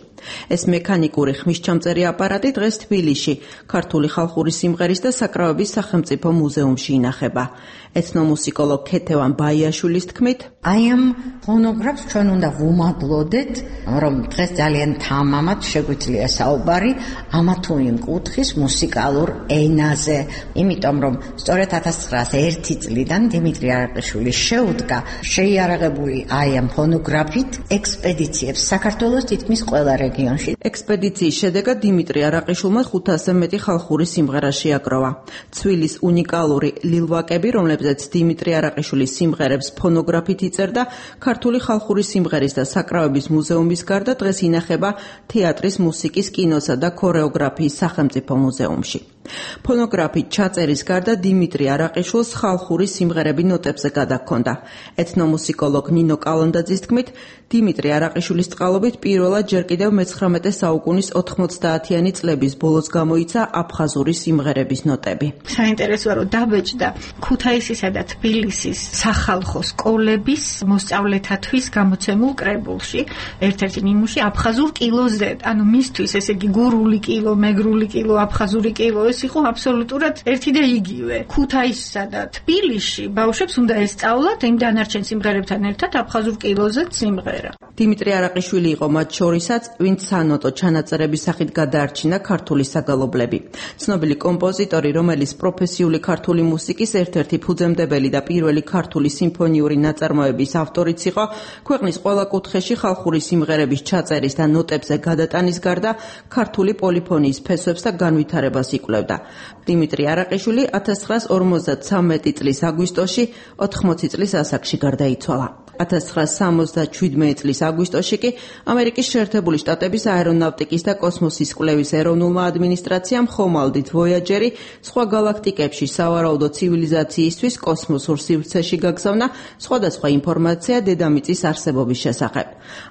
ეს მექანიკური ხმისჩამწერი აპარატი დღეს თბილისში ქართული ხალხური სიმღერის და საკრავების სახელმწიფო მუზეუმში ინახება. ეთნომუსიკოლოგ ქეთევან ბაიაშვილის თქმით, აი ამ ფონოგრაფს ჩვენ უნდა ვუმადლოდეთ, რომ დღეს ძალიან თამამად შეგვიძლია საუბარი ამა თუ იმ კუთხის მუსიკალურ ენაზე, იმიტომ რომ სწორედ ათას ცხრაას ერთი წლიდან დიმიტრი არაყიშვილი შეუდგა შეიარაღებული აი ამ ფონოგრაფით ექსპედიციებს საქართველოს თითქმის ყველა რეგიონში. ექსპედიციის შედეგად დიმიტრი არაყიშვილმა ხუთასზე მეტი ხალხური სიმღერა შეაგროვა. ცვილის უნიკალური ლილვაკები, რომლებზეც დიმიტრი არაყიშვილის სიმღერებს ფონოგრაფით იწერდა, ქართული ხალხური სიმღერის და საკრავების მუზეუმის გარდა დღეს ინახება თეატრის, მუსიკის, კინოსა და ქორეოგრაფიის სახელმწიფო მუზეუმში. ფონოგრაფით ჩაწერის გარდა დიმიტრი არაყიშვილს ხალხური სიმღერები ნოტებზე გადაჰქონდა. ეთნომუსიკოლოგ ნინო კალანდაძის თქმით, დიმიტრი არაყიშვილის წყალობით პირველად ჯერ კიდევ მეცხრამეტე საუკუნის ოთხმოცდაათიანი წლების ბოლოს გამოიცა აფხაზური სიმღერების ნოტები. საინტერესოა, რომ დაბეჭდა ქუთაისისა და თბილისის სახალხო სკოლების მოსწავლეთათვის გამოცემულ კრებულში, ერთ-ერთი ნიმუში აფხაზურ კილოზე, ანუ მისთვის ესე იგი გურული კილო, მეგრული კილო, აფხაზური კილო ეს იყო აბსოლუტურად ერთი და იგივე. ქუთაისსა და თბილისში ბავშვებს უნდა ესწავლათ იმ დანარჩენ სიმღერებთან ერთად აფხაზურ კილოზეც სიმღერა. დიმიტრი არაყიშვილი იყო მათ შორისაც, ვინც სანოტო ჩანაწერების სახით გადაარჩინა ქართული საგალობლები. ცნობილი კომპოზიტორი, რომელიც პროფესიული ქართული მუსიკის ერთ-ერთი ფუძემდებელი და პირველი ქართული სიმფონიური ნაწარმოების ავტორიც იყო, ქვეყნის ყველა კუთხეში ხალხური სიმღერების ჩაწერის და ნოტებზე გადატანის გარდა ქართული პოლიფონიის ფესვებს და განვითარებას იკვლევდა. დიმიტრი არაყიშვილი ათას ცხრაას ორმოცდათვრამეტი წლის აგვისტოში ოთხმოცი წლის ასაკში გარდაიცვალა. ათას ცხრაას სამოცდაშვიდმე წლის აგვისტოში კი ამერიკის შეერთებული შტატების აერონავტიკის და კოსმოსის კვლევის ეროვნულმა ადმინისტრაციამ ხომალდით ვოიაჯერი სხვა გალაქტიკებში სავარაუდო ცივილიზაციისთვის კოსმოსურ სივრცეში გაგზავნა სხვადასხვა ინფორმაცია დედამიწის არსებობის შესახებ.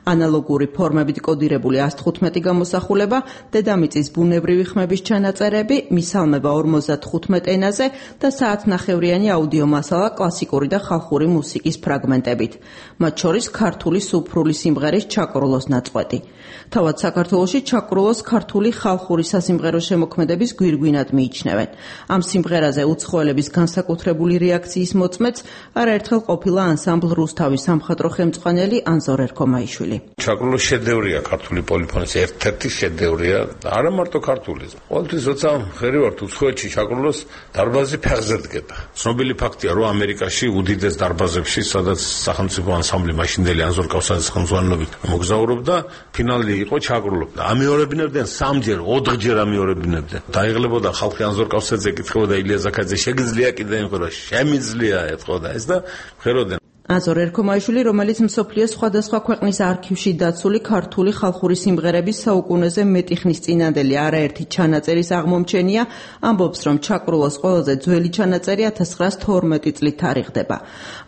ანალოგური ფორმებით კოდირებული ას თხუთმეტი გამოსახულება, დედამიწის ბუნებრივი ხმების ჩანაწერები, მისალმება ორმოცდათხუთმეტ ენაზე და საათნახევრიანი აუდიო მასალა კლასიკური და ხალხური მუსიკის ფრაგმენტებით. მათ შორის ქართული სუფრული სიმღერის ჩაკრულოს ნაწყვეტი. თავად საქართველოში ჩაკრულოს ქართული ხალხური სასიმღერო შემოქმედების გვირგვინად მიიჩნევენ. ამ სიმღერაზე უცხოელების განსაკუთრებული რეაქციის მოწმეც არაერთხელ ყოფილა ანსამბლ რუსთავის სამხატვრო ხელმძღვანელი ანზორ ერქომაიშვილი. ჩაკრულოს შედევრია ქართული პოლიფონიის ერთ-ერთი შედევრია, არა მარტო ქართული. ყოველთვის როცა ხერი ვართ უცხოეთში ჩაკრულოს დარბაზი ფეხზე დგება. ცნობილი ფაქტია, რომ ამერიკაში უდიდეს დარბაზებში, სადაც სახელმწიფო ანსამბლი მაშინდელი ანზორ კავსაძის ხელმძღვანელობით მოგზაურობდა, ფინალი იყო ჩაკრულობდა. ამეორებინებდნენ სამჯერ, ოთხჯერ ამეორებინებდნენ. დაიღლებოდა ხალხი ანზორ კავსაძე ეკითხებოდა ილია ზაქაძე, შეგიძლია კიდე იმხო, შემიძლია ეთყოდა ეს და ხეროდნენ. ანზორ ერქომაიშვილი, რომელიც მსოფლიოს სხვადასხვა ქვეყნის არქივში დაცული ქართული ხალხური სიმღერების საუკუნეზე მეტი ხნის წინანდელი არაერთი ჩანაწერის აღმომჩენია, ამბობს, რომ ჩაკრულოს ყველაზე ძველი ჩანაწერი ათას ცხრაას თორმეტი წლით თარიღდება.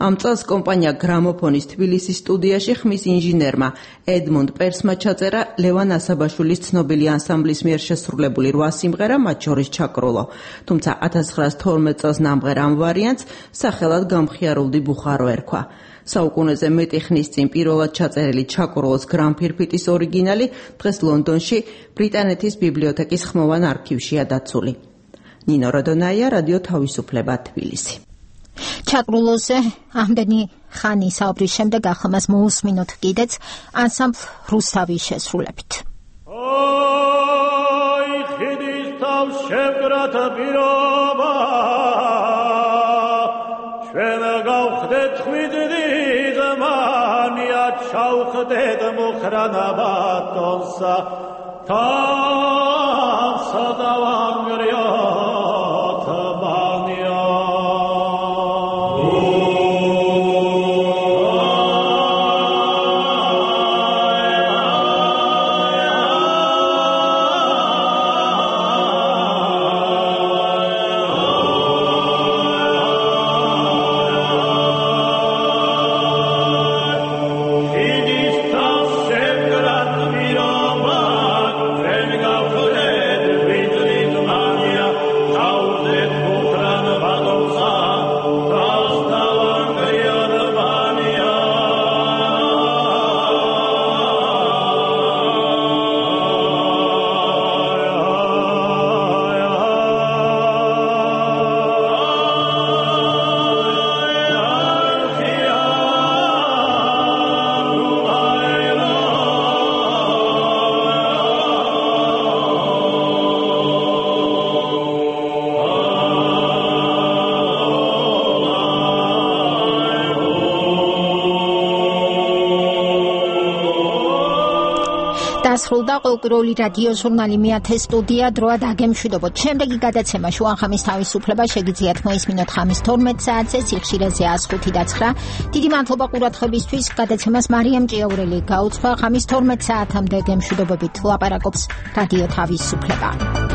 ამ წელს კომპანია გრამოფონის თბილისის სტუდიაში ხმის ინჟინერმა ედმუნდ პერსმა ჩაწერა ლევან ასაბაშვილის ცნობილი ანსამბლის მიერ შესრულებული რვა სიმღერა, მათ შორის ჩაკრულო. თუმცა ათას ცხრაას თორმეტ წელს ნამღერ ამ ვარიანტს სახელად გამხიარულდი ბუხარო ერქვა. საუკუნეზე მეტი ხნის წინ პირველად ჩაწერილი ჩაკრულოს გრამფირფიტის ორიგინალი დღეს ლონდონში ბრიტანეთის ბიბლიოთეკის ხმოვან არქივშია დაცული. ნინო როდონაია, რადიო თავისუფლება, თბილისი. ჩაკრულოზე ამდენი ხანი საუბრის შემდეგ ახლა მას მოусმინოთ კიდეც ანსამბლ რუსთავის შესრულებით. აი ხიდის თავში შევკრათ პირობა ჩვენ გავხდეთ ხვიდრით მანია ჩავხდეთ მუხრანა ბატონსა თანსა დავანგრიოთ ბანია დასრულდა ყოველკვირეული რადიო ჟურნალი მეათე სტუდია დროა დაგემშვიდობოთ. შემდეგი გადაცემა შუახამის თავისუფლება შეგიძლიათ მოისმინოთ ხამის თორმეტ საათზე სიხშირეზე ას ხუთი და ცხრა. დიდი მადლობა ყურადღებისთვის. გადაცემას მარიამ ჭიაურელი გაუძღვა. ხამის თორმეტ საათამდე გემშვიდობებით ლაპარაკობს რადიო თავისუფლება.